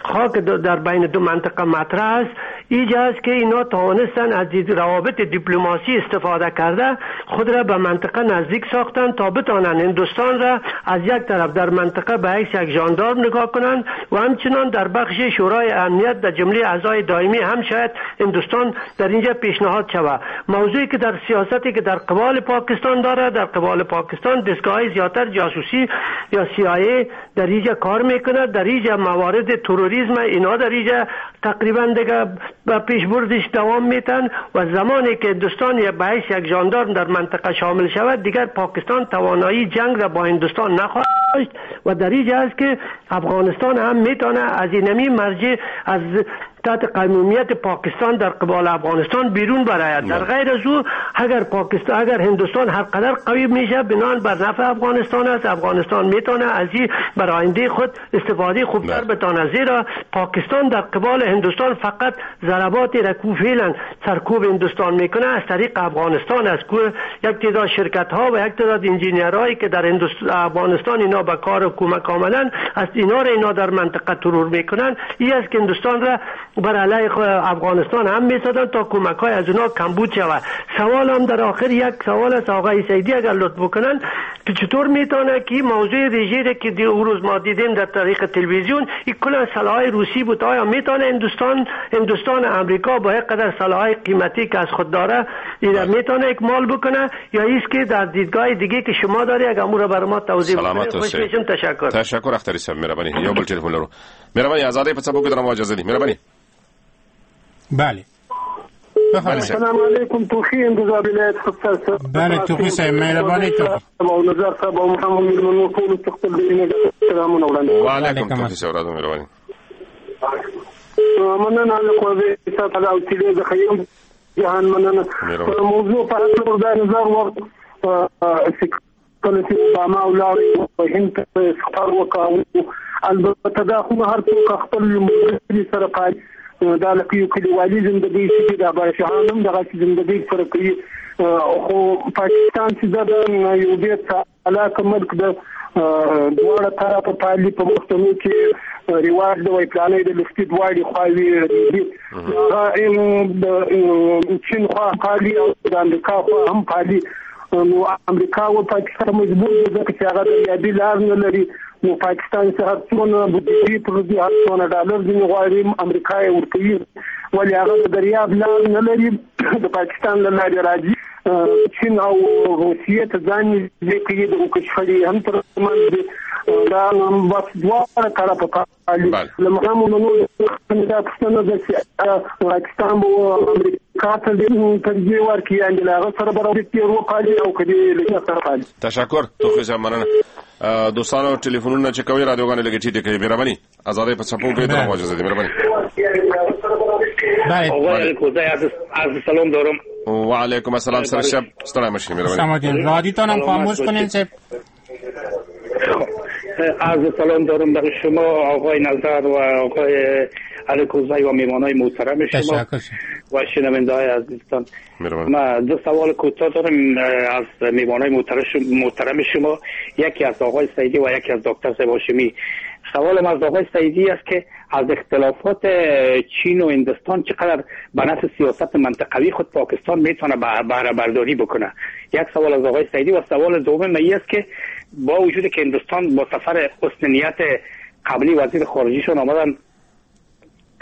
خاک در بین دو منطقه مطرح است، اینجا است که اینا توانستن از روابط دیپلماسی استفاده کرده خود را به منطقه نزدیک ساختن تا بتانن هندوستان را از یک طرف در منطقه به حیث یک ژاندارم نگاه کنند و همچنان در بخش شورای امنیت در جمله اعضای دائمی هم شاید هندوستان در اینجا پیشنهاد شود. موضوعی که در سیاستی که در قبال پاکستان داره، در قبال پاکستان دستگاه‌های زیادتر جاسوسی یا سی آی ای در اینجا کار میکنه، در اینجا موارد تروریسم اینا در اینجا تقریبا دیگه به پیشبردش دوام میتن و زمانی که هندوستان یا به حیث یک ژاندارم در منطقه شامل شود، دیگر پاکستان توانایی جنگ را با هندوستان نخواهد داشت. و در اینجا است که افغانستان هم میتونه از اینمی مرجع از تحت قیمومیت پاکستان در قبال افغانستان بیرون براید. در غیر از او اگر پاکستان اگر هندوستان هر قدر قوی میشه، بنان بر نفع افغانستان است. افغانستان میتونه از این بر آینده خود استفاده خوبتر بتانه، زیرا پاکستان در قبال هندوستان فقط ضربات را که فعلا سرکوب هندوستان میکنه از طریق افغانستان است که یک تعداد شرکت ها و یک تعداد انجینیرهایی که در افغانستان اینا به کار و کمک آمدن از اینا را اینا در منطقه ترور میکنن. این است که هندوستان را بر علیه افغانستان هم میسازن تا کمک های از اونا کمبود شود. سوال هم در آخر یک سوال است آقای سعیدی اگر لطف بکنن که چطور میتونه که موضوع رژه که دی روز ما دیدیم در طریق تلویزیون این کل سلاح‌های روسی بود، آیا میتونه هندوستان هندوستان امریکا با یک قدر سلاح‌های قیمتی که از خود داره این میتونه اکمال بکنه یا ایست که در دیدگاه دیگه که شما داری اگر امور را بر ما توضیح بدید خوش میشم. تشکر. تشکر اختری صاحب، مهربانی. یو بل تلفن لرو. مهربانی ازادۍ په څپو کې درنه اجازه دي. مهربانی. بله السلام علیکم. توخی اندوزا ولایت خپل. بله توخی صاحب مهربانی تو او نظر صاحب او محمد میرمنو ټول خپل دینه سلامونه وړاندې. وعلیکم توخی صاحب راځم مهربانی. مننه له قوې صاحب او تیلې د خیم جهان مننه. موضوع په اړه د نظر وخت کله چې اوباما ولاړ هند ته سفر وکړ، البته دا خو هر څوک خپل ملګري سره پالي، دا لکه یو کلیوالي زندګي چې د بادشاهانو هم دغسې زندګي سره کوي. خو پاکستان چې دا یو ډېر چالاکه ملک ده، دواړه طرفه پالي. په پښتنو کې رواج د وای پلانې د لفتي دواړې خواوې دي، هغه د چین خوا پالي او د امریکا خوا هم پالي. نو امریکا او پاکستان مجبور دي ځکه چې هغه دریابي لار نه لري. نو پاکستان چې هر څونه بودیجې پر دې هر څونه ډالر ځینې غواړي امریکا یې ورکوي، ولې هغه د دریاب لار نه لري، د پاکستان له لارې راځي. چین او روسیې ته ځان نږدې کوي، د شخړې هم تر منځ دي. دا بس دواړه طرفه پالي. له مهمو نورو دا پوښتنه ده چې پاکستان به امریکا ته ترجیح ورکړي، یعنې له هغه سره به روابط وپالي او که دې له سره پالي. تشکر توخي صاحب، مننه. دوستانو ټلیفونونه چې کوي رادیوګانې لږې ټیټې کوي، مهرباني. ازادۍ په څپو کې درغو اجازه دي، مهرباني. آقای الکوزی عرض سلام دارم. و علیکم السلام سر شب ستړی مشي، مهرباني. رادیوتون هم خاموش کنین صاحب. عرض سلام دارم برای شما آقای نظر و آقای الکوزی و میهمانای محترم شما و شنونده‌های عزیزتان. من دو سوال کوتاه دارم از میهمانای محترم شما، یکی از آقای سعیدی و یکی از دکتر صاحب هاشمی. سوالم از آقای سعیدی است که از اختلافات چین و هندوستان چقدر به نفع سیاست منطقوی خود پاکستان میتونه بهره برداری بکنه؟ یک سوال از آقای سعیدی. و سوال دوم این است که با وجود که هندوستان با سفر حسن نیت قبلی وزیر خارجیشون آمدن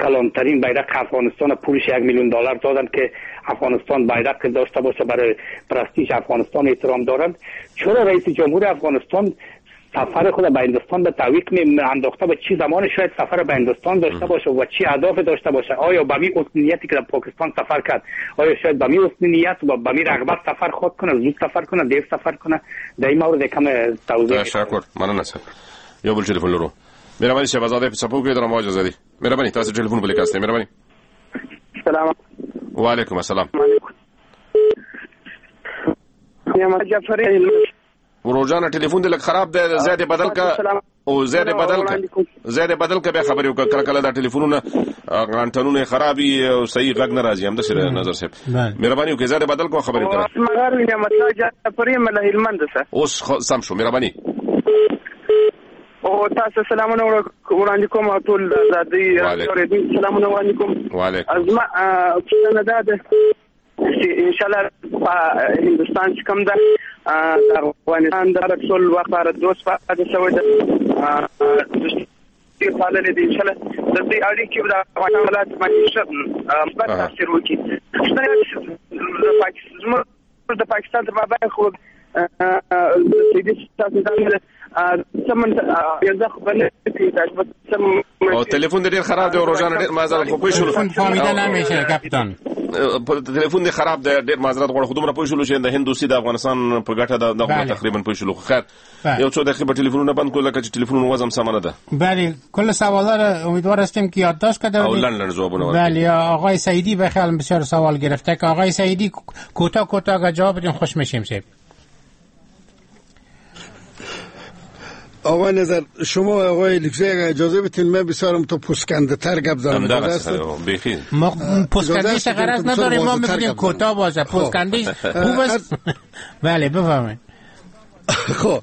کلانترین بیرق افغانستان پولش یک میلیون دلار دادن که افغانستان بیرق داشته باشه، برای پرستیژ افغانستان احترام دارند، چرا رئیس جمهور افغانستان سفر خود به هندوستان به تعویق می انداخته و چی زمان شاید سفر به هندوستان داشته باشه و چی اهداف داشته باشه؟ آیا به می حسن نیتی که در پاکستان سفر کرد، آیا شاید به می حسن نیت و به می رغبت سفر خود کنه، زود سفر کنه، دیر سفر کنه؟ در این مورد کم توضیح. تشکر، مننه صاحب. یو بل ټلیفون لرو. مهرباني صاحب، ازادۍ په څپو کې درنه اجازه دي. مهرباني، تاسو ټلیفون بل کاست. مهرباني. سلام. وعلیکم السلام. جعفري ورور جانه ټلیفون دې لږ خراب دی، ځای دې بدل که او ځای دې بدل که ځای دې بدل که بیا خبرې وکړه. کله کله دا ټلیفونونه انټنونه خراب وي او صحیح غږ نه راځي. همداسې نظر صاحب مهرباني وکړئ، ځای دې بدل که خبرې وکړه. جعفري یم له هلمند څخه. اوس سم شو، مهرباني. او تاسو سلامونه وړاندې کوم ټول ازادۍ اورېدونکو سلامونه وړاندې کوم. وعلیکم. زما پوښتنه دا ده چې ان شاء الله په هندوستان چې کوم ده د افغانستان د ټول وخت لپاره دوست پاتې شوی ده، دوستي پاللې دي، ان شاء الله د دې اړیکې به د افغانستان حالات باندې ښه مثبت تاثیر وکړي. زموږ د پاکستان تر مابین خو او تلفن ډیر خراب دی ورور جان، ډیر معذرت خو پوه شولو. فهمیده نمیشه کپتان، تلفن دی خراب دی، ډیر معذرت غواړم. خو دومره پوه شولو چې د هند دوستي د افغانستان په ګټه ده، دا تقریبا پوه شولو. خیر، یو څو دقیقې به تلفنونه بند کړو لکه چې تلفنونو وضع سمه نه ده. بله، کل سوالا را امیدوار هستیم که یادداشت کرده او لند لند جوابونه ورکړي. بله، آقای سعیدی به خیال بسیار سوال گرفته که آقای سعیدی کوتاه کوتاه اگر جواب بدیم خوش میشیم. صاحب آقای نظر، شما آقای لکزی اگر اجازه بتین من بسیارم تو پسکنده تر گپ زنم. ما پسکندهش غرض نداریم، ما میگیم کوتاه باشه، پسکندهش خوب است. بله بفرمایید. خب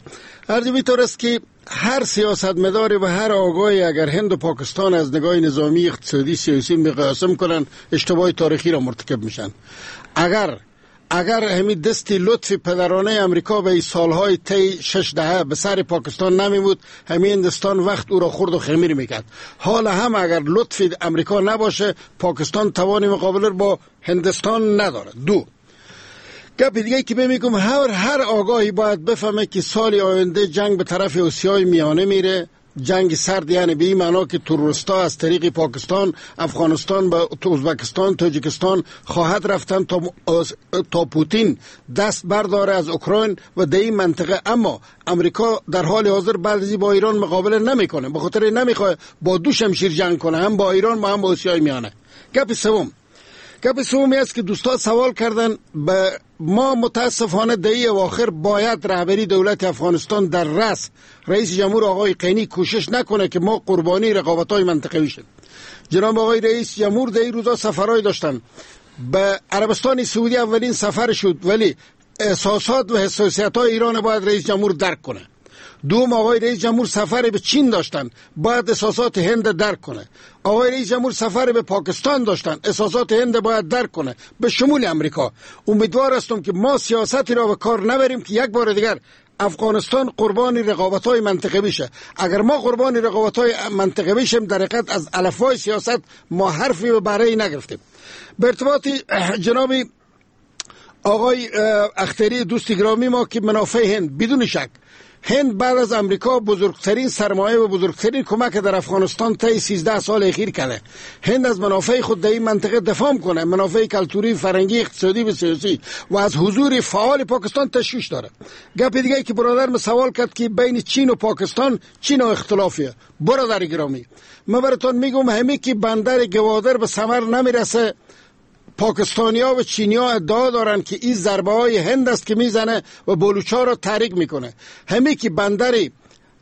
عرض اینطور است که هر سیاستمداری و هر آگاهی اگر هند و پاکستان از نگاه نظامی، اقتصادی، سیاسی مقایسه کنن، اشتباه تاریخی را مرتکب میشن. اگر اگر همین دست لطف پدرانه امریکا به سالهای طی شش دهه به سر پاکستان نمی بود، همین هندوستان وقت او را خورد و خمیر میکرد. حالا هم اگر لطف امریکا نباشه، پاکستان توان مقابله با هندوستان نداره. دو گپ دیگه که میگم، هر هر آگاهی باید بفهمه که سال آینده جنگ به طرف آسیای میانه میره. جنگ سرد یعنی به این معنا که تروریست‌ها از طریق پاکستان، افغانستان به ازبکستان، تاجیکستان خواهد رفتن تا تا پوتین دست برداره از اوکراین و در این منطقه. اما امریکا در حال حاضر بعضی با ایران مقابله نمیکنه، به خاطر نمیخواد با دو شمشیر جنگ کنه، هم با ایران و هم با آسیای میانه. گپ سوم گپ سومی است که دوستا سوال کردن به ما متاسفانه در این اواخر باید رهبری دولت افغانستان در رأس رئیس جمهور آقای قینی کوشش نکنه که ما قربانی رقابت‌های منطقوی شد. جناب آقای رئیس جمهور در این روزا سفرهای داشتن، به عربستان سعودی اولین سفر شد، ولی احساسات و حساسیت‌های ایران باید رئیس جمهور درک کنه. دوم، آقای رئیس جمهور سفر به چین داشتن، باید احساسات هند درک کنه. آقای رئیس جمهور سفر به پاکستان داشتن، احساسات هند باید درک کنه، به شمول امریکا. امیدوار هستم که ما سیاستی را به کار نبریم که یک بار دیگر افغانستان قربانی رقابت‌های منطقه‌ای بشه. اگر ما قربانی رقابت‌های منطقه‌ای بشیم، در حقیقت از الفبای سیاست ما حرفی به برای نگرفتیم. به ارتباط جناب آقای اختری دوست گرامی ما که منافع هند، بدون شک هند بعد از امریکا بزرگترین سرمایه و بزرگترین کمک در افغانستان طی سیزده سال اخیر کرده. هند از منافع خود در این منطقه دفاع کنه، منافع کلتوری، فرهنگی، اقتصادی و سیاسی، و از حضور فعال پاکستان تشویش داره. گپ دیگه که برادرم سوال کرد که بین چین و پاکستان چین و اختلافیه. برادر گرامی، من براتون میگم همه که بندر گوادر به ثمر نمیرسه، پاکستانیا و چینیا ادعا دارن که این ضربه های هند است که میزنه و بلوچ‌ها را تحریک میکنه. همه که بندر،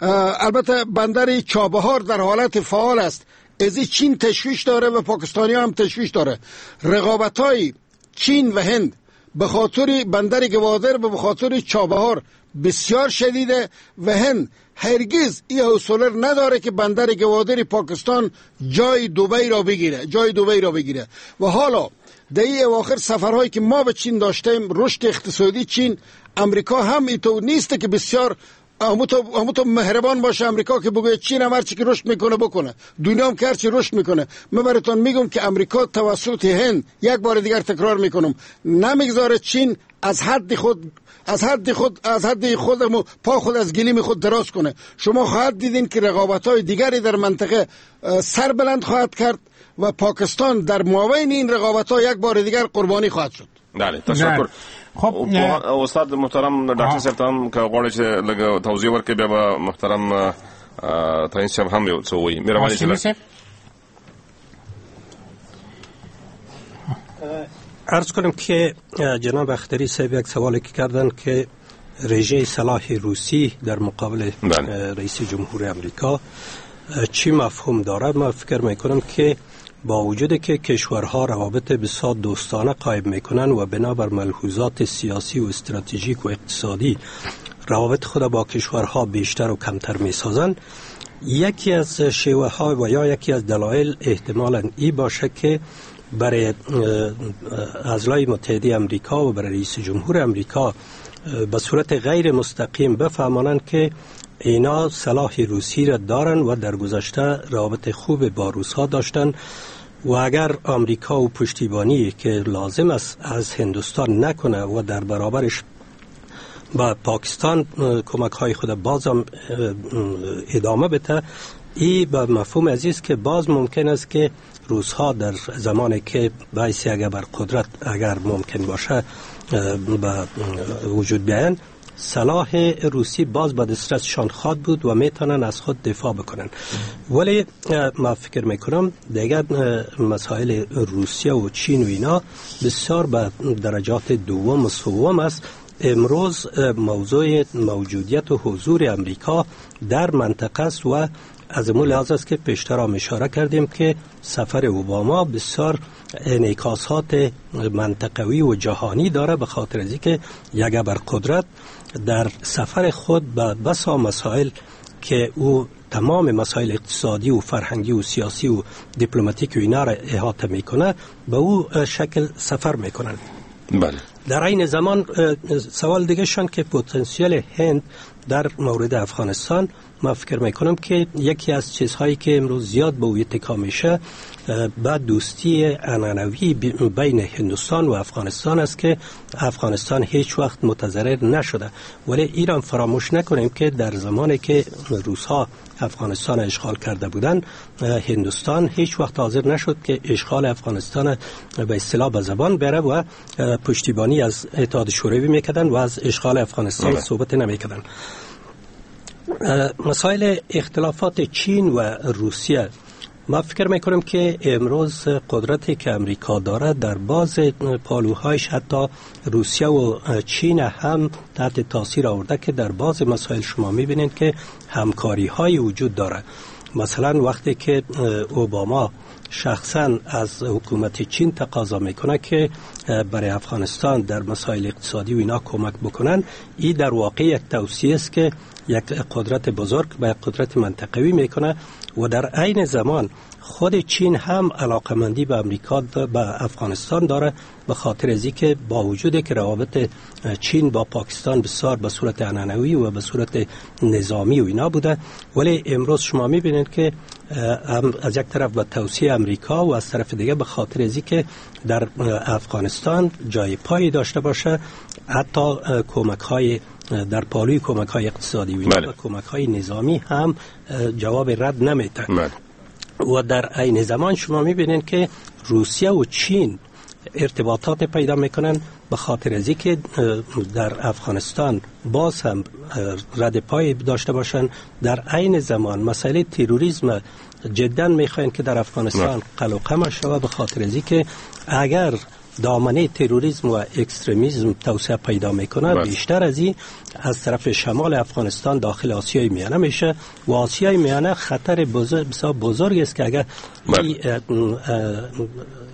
البته بندر چابهار در حالت فعال است، از چین تشویش داره و پاکستانیا هم تشویش داره. رقابت های چین و هند به خاطر بندر گوادر و به خاطر چابهار بسیار شدیده و هند هرگز این حوصله نداره که بندر گوادر پاکستان جای دبی را بگیره، جای دبی را بگیره. و حالا در این اواخر سفرهایی که ما به چین داشتیم، رشد اقتصادی چین، امریکا هم اینطور نیست که بسیار همونطور مهربان باشه امریکا که بگوید چین هم هرچی که رشد میکنه بکنه، دنیا هم که هرچی رشد میکنه. من براتون میگم که امریکا توسط هند، یک بار دیگر تکرار میکنم، نمیگذاره چین از حد خود از حد خود از حد خود پا خود از گلیم خود دراز کنه. شما خواهد دیدین که رقابت‌های دیگری در منطقه سر بلند خواهد کرد و پاکستان در مابین این رقابت‌ها یک بار دیگر قربانی خواهد شد. بله، تشکر. خب استاد محترم ډاکټر صاحب ته هم که غواړئ چې لږ توضیح ورکړئ، بیا به محترم تعین صاحب هم یو څه ووایي. مهرباني صاحب. عرض کنم که جناب اختری صاحب یک سوالی که کردن که رژه سلاح روسی در مقابل رئیس جمهور امریکا چی مفهوم داره. من فکر میکنم که با وجود که کشورها روابط بسیار دوستانه قایم میکنن و بنابر ملحوظات سیاسی و استراتژیک و اقتصادی روابط خود با کشورها بیشتر و کمتر میسازن، یکی از شیوه ها و یا یکی از دلایل احتمالاً ای باشه که برای اعضای متحده امریکا و برای رئیس جمهور امریکا به صورت غیر مستقیم بفهمانند که اینا سلاح روسی را دارن و در گذشته روابط خوب با روس‌ها داشتن و اگر آمریکا و پشتیبانی که لازم است از هندوستان نکنه و در برابرش با پاکستان کمک های خود بازم ادامه بده، ای به مفهوم عزیز که باز ممکن است که روس‌ها در زمانی که بایستی اگر بر قدرت اگر ممکن باشه به وجود بیاین، سلاح روسی باز به دسترسشان خواد بود و میتونن از خود دفاع بکنن. ولی ما فکر میکنم دیگر مسائل روسیه و چین و اینا بسیار به درجات دوم و سوم است. امروز موضوع موجودیت و حضور امریکا در منطقه است و از اون لحاظ است که پیشتر هم اشاره کردیم که سفر اوباما بسیار انعکاسات منطقوی و جهانی داره، به خاطر از اینکه یک بر قدرت در سفر خود به بسا مسائل که او تمام مسائل اقتصادی و فرهنگی و سیاسی و دیپلماتیک و اینا را احاطه میکنه، به او شکل سفر میکنن. بله. در این زمان سوال دیگه شان که پتانسیل هند در مورد افغانستان، ما فکر میکنم که یکی از چیزهایی که امروز زیاد به او اتکا میشه به دوستی عنعنوی بین هندوستان و افغانستان است که افغانستان هیچ وقت متضرر نشده. ولی ایران فراموش نکنیم که در زمانی که روس‌ها افغانستان اشغال کرده بودند، هندوستان هیچ وقت حاضر نشد که اشغال افغانستان به اصطلاح به زبان بره و پشتیبانی از اتحاد شوروی میکردن و از اشغال افغانستان صحبت نمیکردن. مسائل اختلافات چین و روسیه، ما فکر میکنم که امروز قدرتی که امریکا داره در باز پالوهایش حتی روسیه و چین هم تحت تاثیر آورده که در باز مسائل شما میبینید که همکاری های وجود داره. مثلا وقتی که اوباما شخصا از حکومت چین تقاضا میکنه که برای افغانستان در مسائل اقتصادی و اینا کمک بکنن، این در واقع یک توصیه است که یک قدرت بزرگ به یک قدرت منطقوی میکنه و در عین زمان خود چین هم علاقمندی به امریکا به افغانستان داره، به خاطر از اینکه با وجود که روابط چین با پاکستان بسیار به صورت عنعنوی و به صورت نظامی و اینا بوده، ولی امروز شما میبینید که از یک طرف به توصیه امریکا و از طرف دیگه به خاطر از اینکه در افغانستان جای پای داشته باشه، حتی کمک های در پالوی کمک های اقتصادی و بله. کمک های نظامی هم جواب رد نمیده. بله. و در عین زمان شما میبینید که روسیه و چین ارتباطات پیدا میکنن به خاطر از اینکه در افغانستان باز هم رد پای داشته باشن. در عین زمان مسئله تروریسم جدا میخواین که در افغانستان قلع و قمع شود، به خاطر از اینکه اگر دامنه تروریسم و اکستریمیسم توسعه پیدا میکنه بله. بیشتر از این از طرف شمال افغانستان داخل آسیای میانه میشه و آسیای میانه خطر بزرگ بسیار بزرگ است که اگر این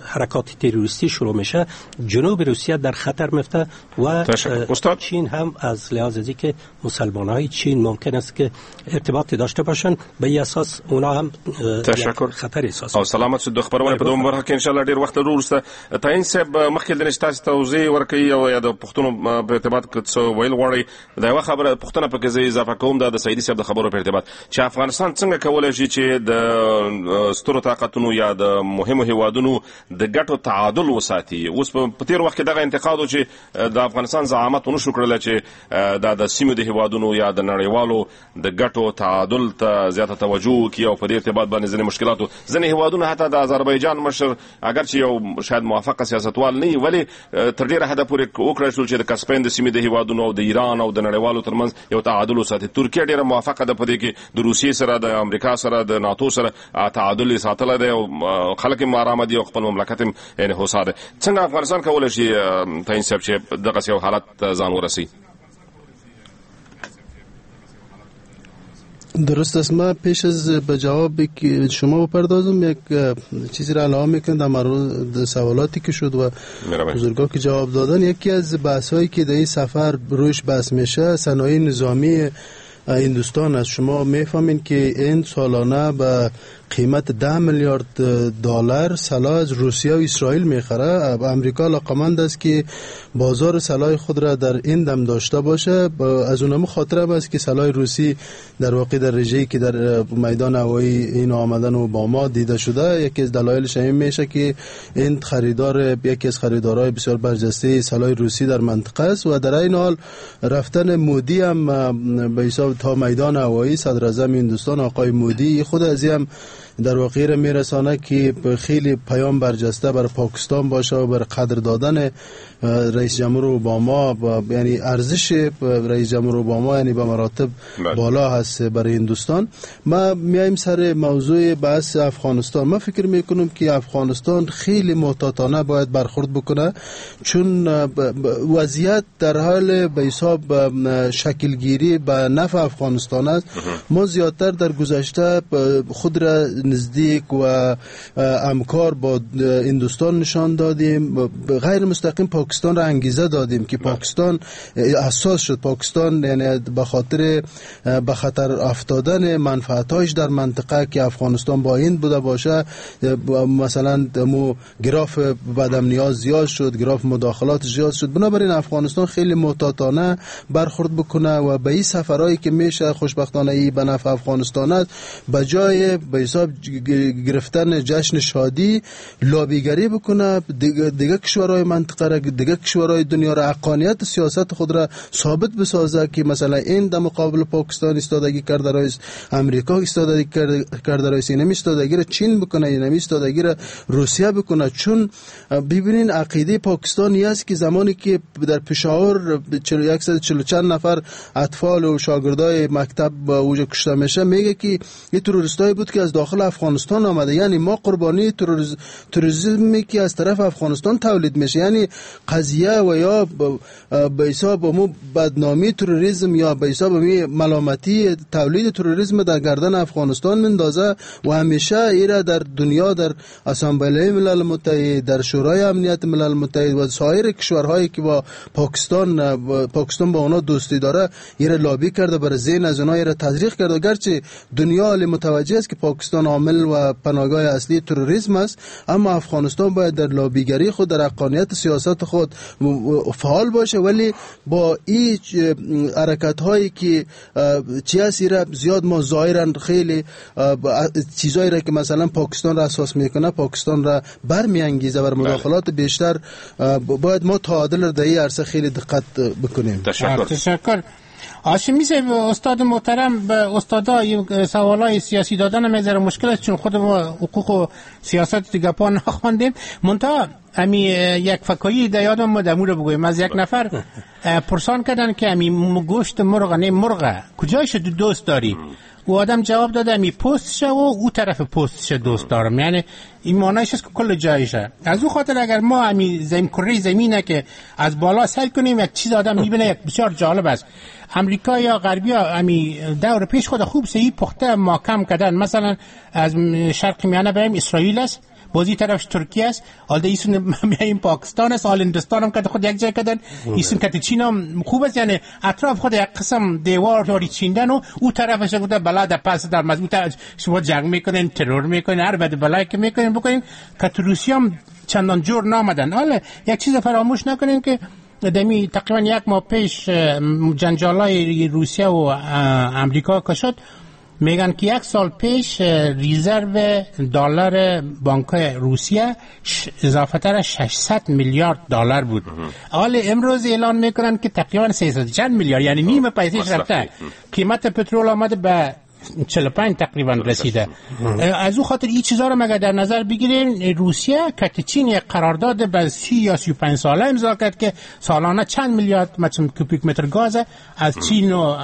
حرکات تروریستی شروع میشه جنوب روسیه در خطر میفته و چین هم از لحاظ از اینکه مسلمان های چین ممکن است که ارتباط داشته باشن، به این اساس اونا هم تشکر خطر احساس. او سلامت د خبرونه په دوم برخه کې ان شاء الله ډیر وخت لرو. وروسته تعین صاحب مخکې د نشتاس توضیح ورکوي او یا د پښتنو په ارتباط کې څه ویل غواړي. دا یو خبره پښتنه پکې زه اضافه کوم، دا د سعیدي صاحب د خبرو په ارتباط چې افغانستان څنګه کولای شي چې د سترو طاقتونو یا د مهمو هیوادونو د ګټو تعادل وساتي. اوس په تیر وخت کې دغه انتقاد و چې د افغانستان زعامت ونه شو کړلی چې دا د سیمې د هیوادونو یا د نړیوالو د ګټو تعادل ته زیاته توجه وکړي او په دې ارتباط باندې ځینې مشکلاتو ځینې هیوادونه حتی د آذربایجان مشر اگر چې یو شاید موافقه سیاستوال نه وي، ولی تر ډیره حده پورې وکړای شول چې د کسپین د سیمې د هیوادونو او د ایران او د نړیوالو ترمنځ یو تعادل وساتي. ترکیه ډیره موافقه ده په دې کې د روسیې سره، د امریکا سره، د ناتو سره تعادل یې ساتلی دی او خلک یې آرامه دي او خپل مملکت هم یعنی هوسا ده. څنګه افغانستان کولای شي تعین صاحب چې دغسې یو حالت ته ځان ورسوي؟ درست است. من پیش از به جواب که شما بپردازم یک چیزی را علاوه میکنم در مورد سوالاتی که شد و بزرگا که جواب دادن. یکی از بحث هایی که در این سفر روش بحث میشه صنایع نظامی هندوستان است. شما میفهمین که این سالانه به قیمت ده میلیارد دلار سلاح از روسیه و اسرائیل میخره. امریکا علاقمند است که بازار سلاح خود را در این دم داشته باشه. از اونم خاطر است که سلاح روسی در واقع در رژه‌ای که در میدان هوایی این آمدن اوباما دیده شده، یکی از دلایلش این میشه که این خریدار یکی از خریدارای بسیار برجسته سلاح روسی در منطقه است و در این حال رفتن مودی هم به حساب تا میدان هوایی صدر اعظم هندوستان آقای مودی خود از هم در واقع را میرسانه که خیلی پیام برجسته بر پاکستان باشه و بر قدر دادن رئیس جمهور اوباما، یعنی ارزش رئیس جمهور اوباما یعنی به مراتب بالا هست برای هندوستان. ما میایم سر موضوع بحث افغانستان. ما فکر میکنم که افغانستان خیلی محتاطانه باید برخورد بکنه، چون وضعیت در حال به حساب شکلگیری به نفع افغانستان است. ما زیادتر در گذشته خود را نزدیک و همکار با هندوستان نشان دادیم، غیر مستقیم پاکستان را انگیزه دادیم که پاکستان حساس شد. پاکستان یعنی به خاطر به خطر افتادن منفعت‌هایش در منطقه که افغانستان با هند بوده باشه، مثلا مو گراف بدامنی‌ها زیاد شد، گراف مداخلات زیاد شد. بنابراین افغانستان خیلی محتاطانه برخورد بکنه و به این سفرهایی که میشه خوشبختانه ای به نفع افغانستان است، به جای به حساب گرفتن جشن شادی لابیگری بکنه، دیگه, دیگه کشورهای منطقه را، دیگه کشورهای دنیا را حقانیت سیاست خود را ثابت بسازه که مثلا این در مقابل پاکستان ایستادگی کرده رئیس، امریکا ایستادگی کرده رئیس، اینم ایستادگی را چین بکنه، اینم ایستادگی را روسیه بکنه. چون ببینین عقیده پاکستان است که زمانی که در پشاور صد و چهل و چند نفر اطفال و شاگردای مکتب اوج کشته میشه، میگه که این تروریستای بود که از داخل داخل افغانستان آمده. یعنی ما قربانی تروریسمی که از طرف افغانستان تولید میشه، یعنی قضیه و یا به حساب مو بدنامی تروریسم یا به حساب ملامتی تولید تروریسم در گردن افغانستان مندازه و همیشه ایرا در دنیا، در اسامبله ملل متحد، در شورای امنیت ملل متحد و سایر کشورهایی که با پاکستان پاکستان با اونا دوستی داره ایرا لابی کرده، بر ذهن از اونها ایرا تزریق کرده. گرچه دنیا متوجه است که پاکستان عامل و پناهگاه اصلی تروریسم است، اما افغانستان باید در لابیگری خود، در حقانیت سیاست خود فعال باشه، ولی با این حرکت هایی که چی است ایرا زیاد ما ظاهرا خیلی چیزایی را که مثلا پاکستان را اساس میکنه، پاکستان را برمیانگیزه بر مداخلات بیشتر. باید ما تعادل را در این عرصه خیلی دقت بکنیم. تشکر. تشکر. هاشمی صاحب، استاد محترم، به استادا سوالای سیاسی دادن هم ذره مشکل است، چون خود ما حقوق و سیاست دیگه پا نخواندیم. منتها امی یک فکایی در یادم ما دمو رو بگویم. از یک نفر پرسان کردن که امی گوشت مرغ نه مرغ کجایش دوست داری؟ او آدم جواب داده امی پوستشه و او طرف پوستشه دوست دارم، یعنی این معنیش است که کل جایشه. از او خاطر اگر ما امی زمین کره زمینه که از بالا سیل کنیم یک چیز آدم میبینه، یک بسیار جالب است. امریکا یا غربی ها امی دور پیش خود خوب سهی پخته محکم کردن. مثلا از شرق میانه بریم اسرائیل است، بازی طرفش ترکیه است، حال ایسون میایم پاکستان است، حال هندوستان هم که خود یک جای کردن، ایسون که چین هم خوب است، یعنی اطراف خود یک قسم دیوار داری چیندن و او طرفش گفته بلا در پس در مضبوط شما جنگ میکنین، ترور میکنین، هر بد بلایی که میکنین بکنین، که روسیه هم چندان جور نامدن. حالا یک چیز فراموش نکنین که دمی تقریبا یک ماه پیش جنجالای روسیه و امریکا کشد، میگن که یک سال پیش رزرو دلار بانک روسیه اضافه تر ششصد میلیارد دلار بود. حال امروز اعلان میکنن که تقریبا سیصد چند میلیارد، یعنی نیم پیسش رفته. قیمت پترول آمده به چهل و پنج تقریبا رسیده. از او خاطر این چیزا رو مگر در نظر بگیریم، روسیه که چین یک قرارداد به سی یا سی و پنج ساله امضا کرد که سالانه چند میلیارد متر کوبیک متر گاز از چین و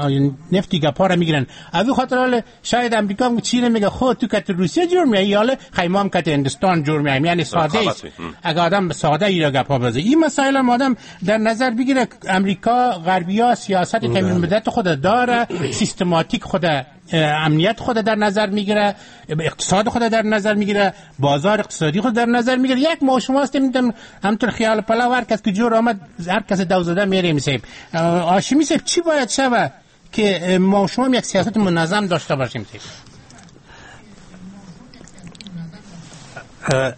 نفت گپا رو میگیرن. از او خاطر حال شاید امریکا هم چین میگه خود تو که روسیه جور میای، حالا خیمه هم که هندوستان جور میای، یعنی ساده است. اگه آدم ساده ای را گپا بزنه، این مسائل هم آدم در نظر بگیره. امریکا غربیا سیاست تامین مدت خود داره، سیستماتیک خود امنیت خود در نظر میگیره، اقتصاد خود در نظر میگیره، بازار اقتصادی خود در نظر میگیره. یک ما شما هستیم همطور خیال پلا هر کس که جور آمد هر کس دو زده میریم. سیب هاشمی صاحب، چی باید شوه که ما شما یک سیاست منظم داشته باشیم؟ سیب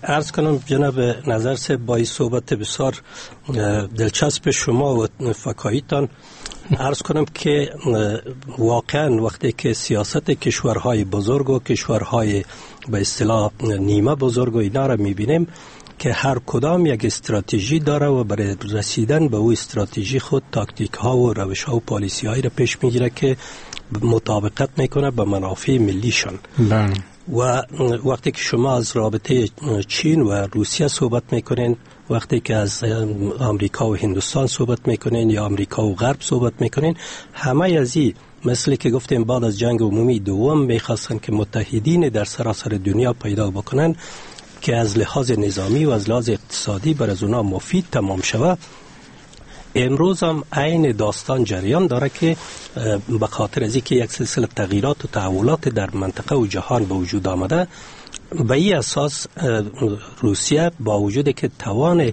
عرض کنم جناب نظر صاحب، با این صحبت بسیار دلچسب شما و فکاییتان عرض کنم که واقعا وقتی که سیاست کشورهای بزرگ و کشورهای به اصطلاح نیمه بزرگ و اینا را میبینیم که هر کدام یک استراتژی داره و برای رسیدن به او استراتژی خود تاکتیک ها و روش ها و پالیسی هایی را پیش میگیره که مطابقت میکنه به منافع ملیشان. بله. و وقتی که شما از رابطه چین و روسیه صحبت میکنین، وقتی که از آمریکا و هندوستان صحبت میکنین یا آمریکا و غرب صحبت میکنین، همه از این مثل که گفتیم بعد از جنگ عمومی دوم میخواستن که متحدین در سراسر دنیا پیدا بکنن که از لحاظ نظامی و از لحاظ اقتصادی بر از اونا مفید تمام شود. امروز هم عین داستان جریان داره که به خاطر از اینکه یک سلسله تغییرات و تحولات در منطقه و جهان به وجود آمده، به این اساس روسیه با وجود که توان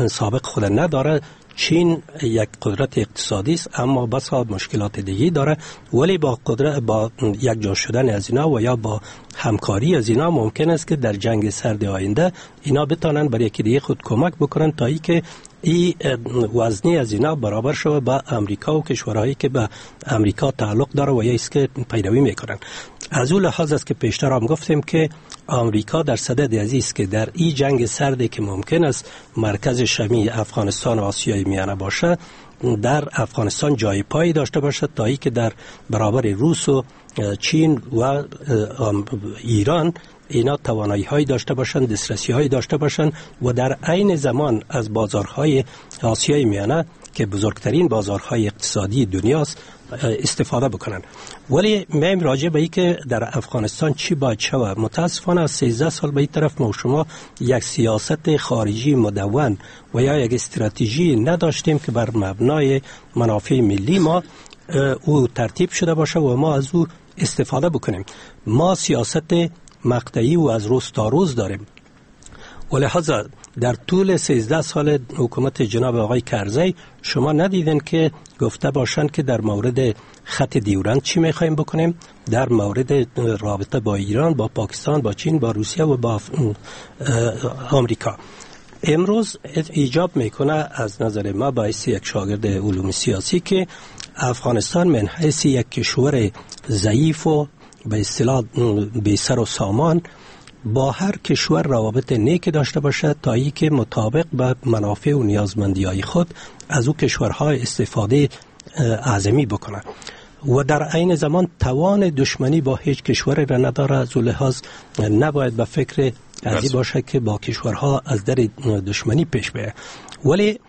سابق خود نداره، چین یک قدرت اقتصادی است اما بسا مشکلات دیگه داره، ولی با قدرت با یک جا شدن از اینا و یا با همکاری از اینا ممکن است که در جنگ سرد آینده اینا بتونن برای یکی دیگه خود کمک بکنن تا اینکه این وزنی از اینا برابر شود با امریکا و کشورهایی که به امریکا تعلق داره و یا است که پیروی میکنن. از اون لحاظ است که پیشتر هم گفتیم که آمریکا در صدد از است که در این جنگ سردی که ممکن است مرکز شمی افغانستان و آسیای میانه باشه، در افغانستان جای پایی داشته باشد تا اینکه در برابر روس و چین و ایران اینا توانایی هایی داشته باشند، دسترسی هایی داشته باشند و در عین زمان از بازارهای آسیای میانه که بزرگترین بازارهای اقتصادی دنیاست استفاده بکنن. ولی مهم راجع به این که در افغانستان چی باید شود، متاسفانه از سیزده سال به این طرف ما شما یک سیاست خارجی مدون و یا یک استراتژی نداشتیم که بر مبنای منافع ملی ما او ترتیب شده باشه و ما از او استفاده بکنیم. ما سیاست مقطعی و از روز تا روز داریم و لحاظا در طول سیزده سال حکومت جناب آقای کرزی شما ندیدین که گفته باشند که در مورد خط دیورند چی میخوایم بکنیم، در مورد رابطه با ایران، با پاکستان، با چین، با روسیه و با آمریکا. امروز ایجاب میکنه از نظر ما باعث یک شاگرد علوم سیاسی که افغانستان من حیث یک کشور ضعیف و به اصطلاح بی سر و سامان با هر کشور روابط نیک داشته باشد تا ای که مطابق به منافع و نیازمندی‌های خود از او کشورها استفاده اعظمی بکنه و در عین زمان توان دشمنی با هیچ کشوری را نداره. از او لحاظ نباید به فکر ازی باشه که با کشورها از در دشمنی پیش بره. ولی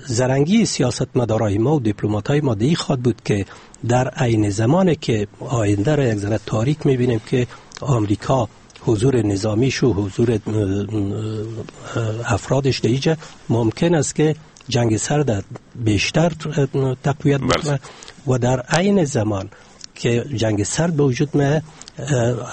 زرنگی سیاستمدارای ما و دیپلمات‌های ما دی خواد بود که در عین زمان که آینده را یک ذره تاریک می‌بینیم که آمریکا حضور نظامیش و حضور افرادش در اینجا ممکن است که جنگ سرد بیشتر تقویت بکنه و در عین زمان که جنگ سرد به وجود می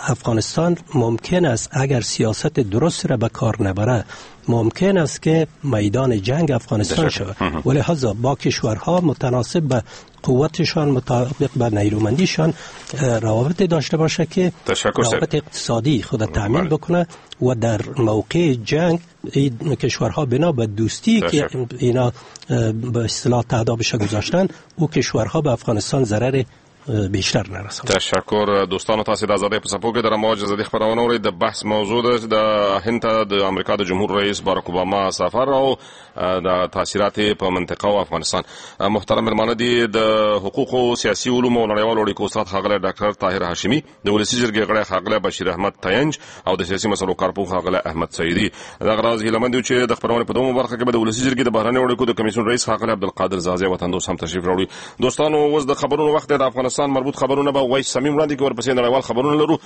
افغانستان ممکن است اگر سیاست درست را به کار نبره ممکن است که میدان جنگ افغانستان شود. ولی لذا با کشورها متناسب به قوتشان، مطابق به نیرومندیشان روابط داشته باشه که روابط اقتصادی خود تامین بکنه و در موقع جنگ این کشورها بنا به دوستی که اینا به اصطلاح تهدابش گذاشتن او کشورها به افغانستان ضرر بیشتر نرسند. تشکر دوستانو، تاسو د ازادۍ په څپو کې د رمواج ازادي خپرونه اورئ. د بحث موضوع ده د هند ته د امریکا د جمهور رئیس باراک اوباما سفر او د تاثیرات په منطقه او افغانستان. محترم مېلمانه دي د حقوقو، سیاسي علومو او نړیوالو اړیکو استاد ښاغلی ډاکټر طاهر هاشمي، د ولسي جرګې غړی ښاغلی بشیر احمد تینج او د سیاسي مسلو کارپوه ښاغلی احمد سعیدي. دغه راز هیله مند یو چې د خپرونې په دومه برخه کې به د ولسي جرګې د بهرنیو اړیکو د کمیسیون رئیس ښاغلی عبدالقادر ځاځی وطندوست هم تشریف راوړي. دوستانو، اوس د خبرونو وخت دی. د افغانستان مربوط خبرونه به وایس صمیم وړاندې کوي، ورپسې نړیوال خبرونه لرو.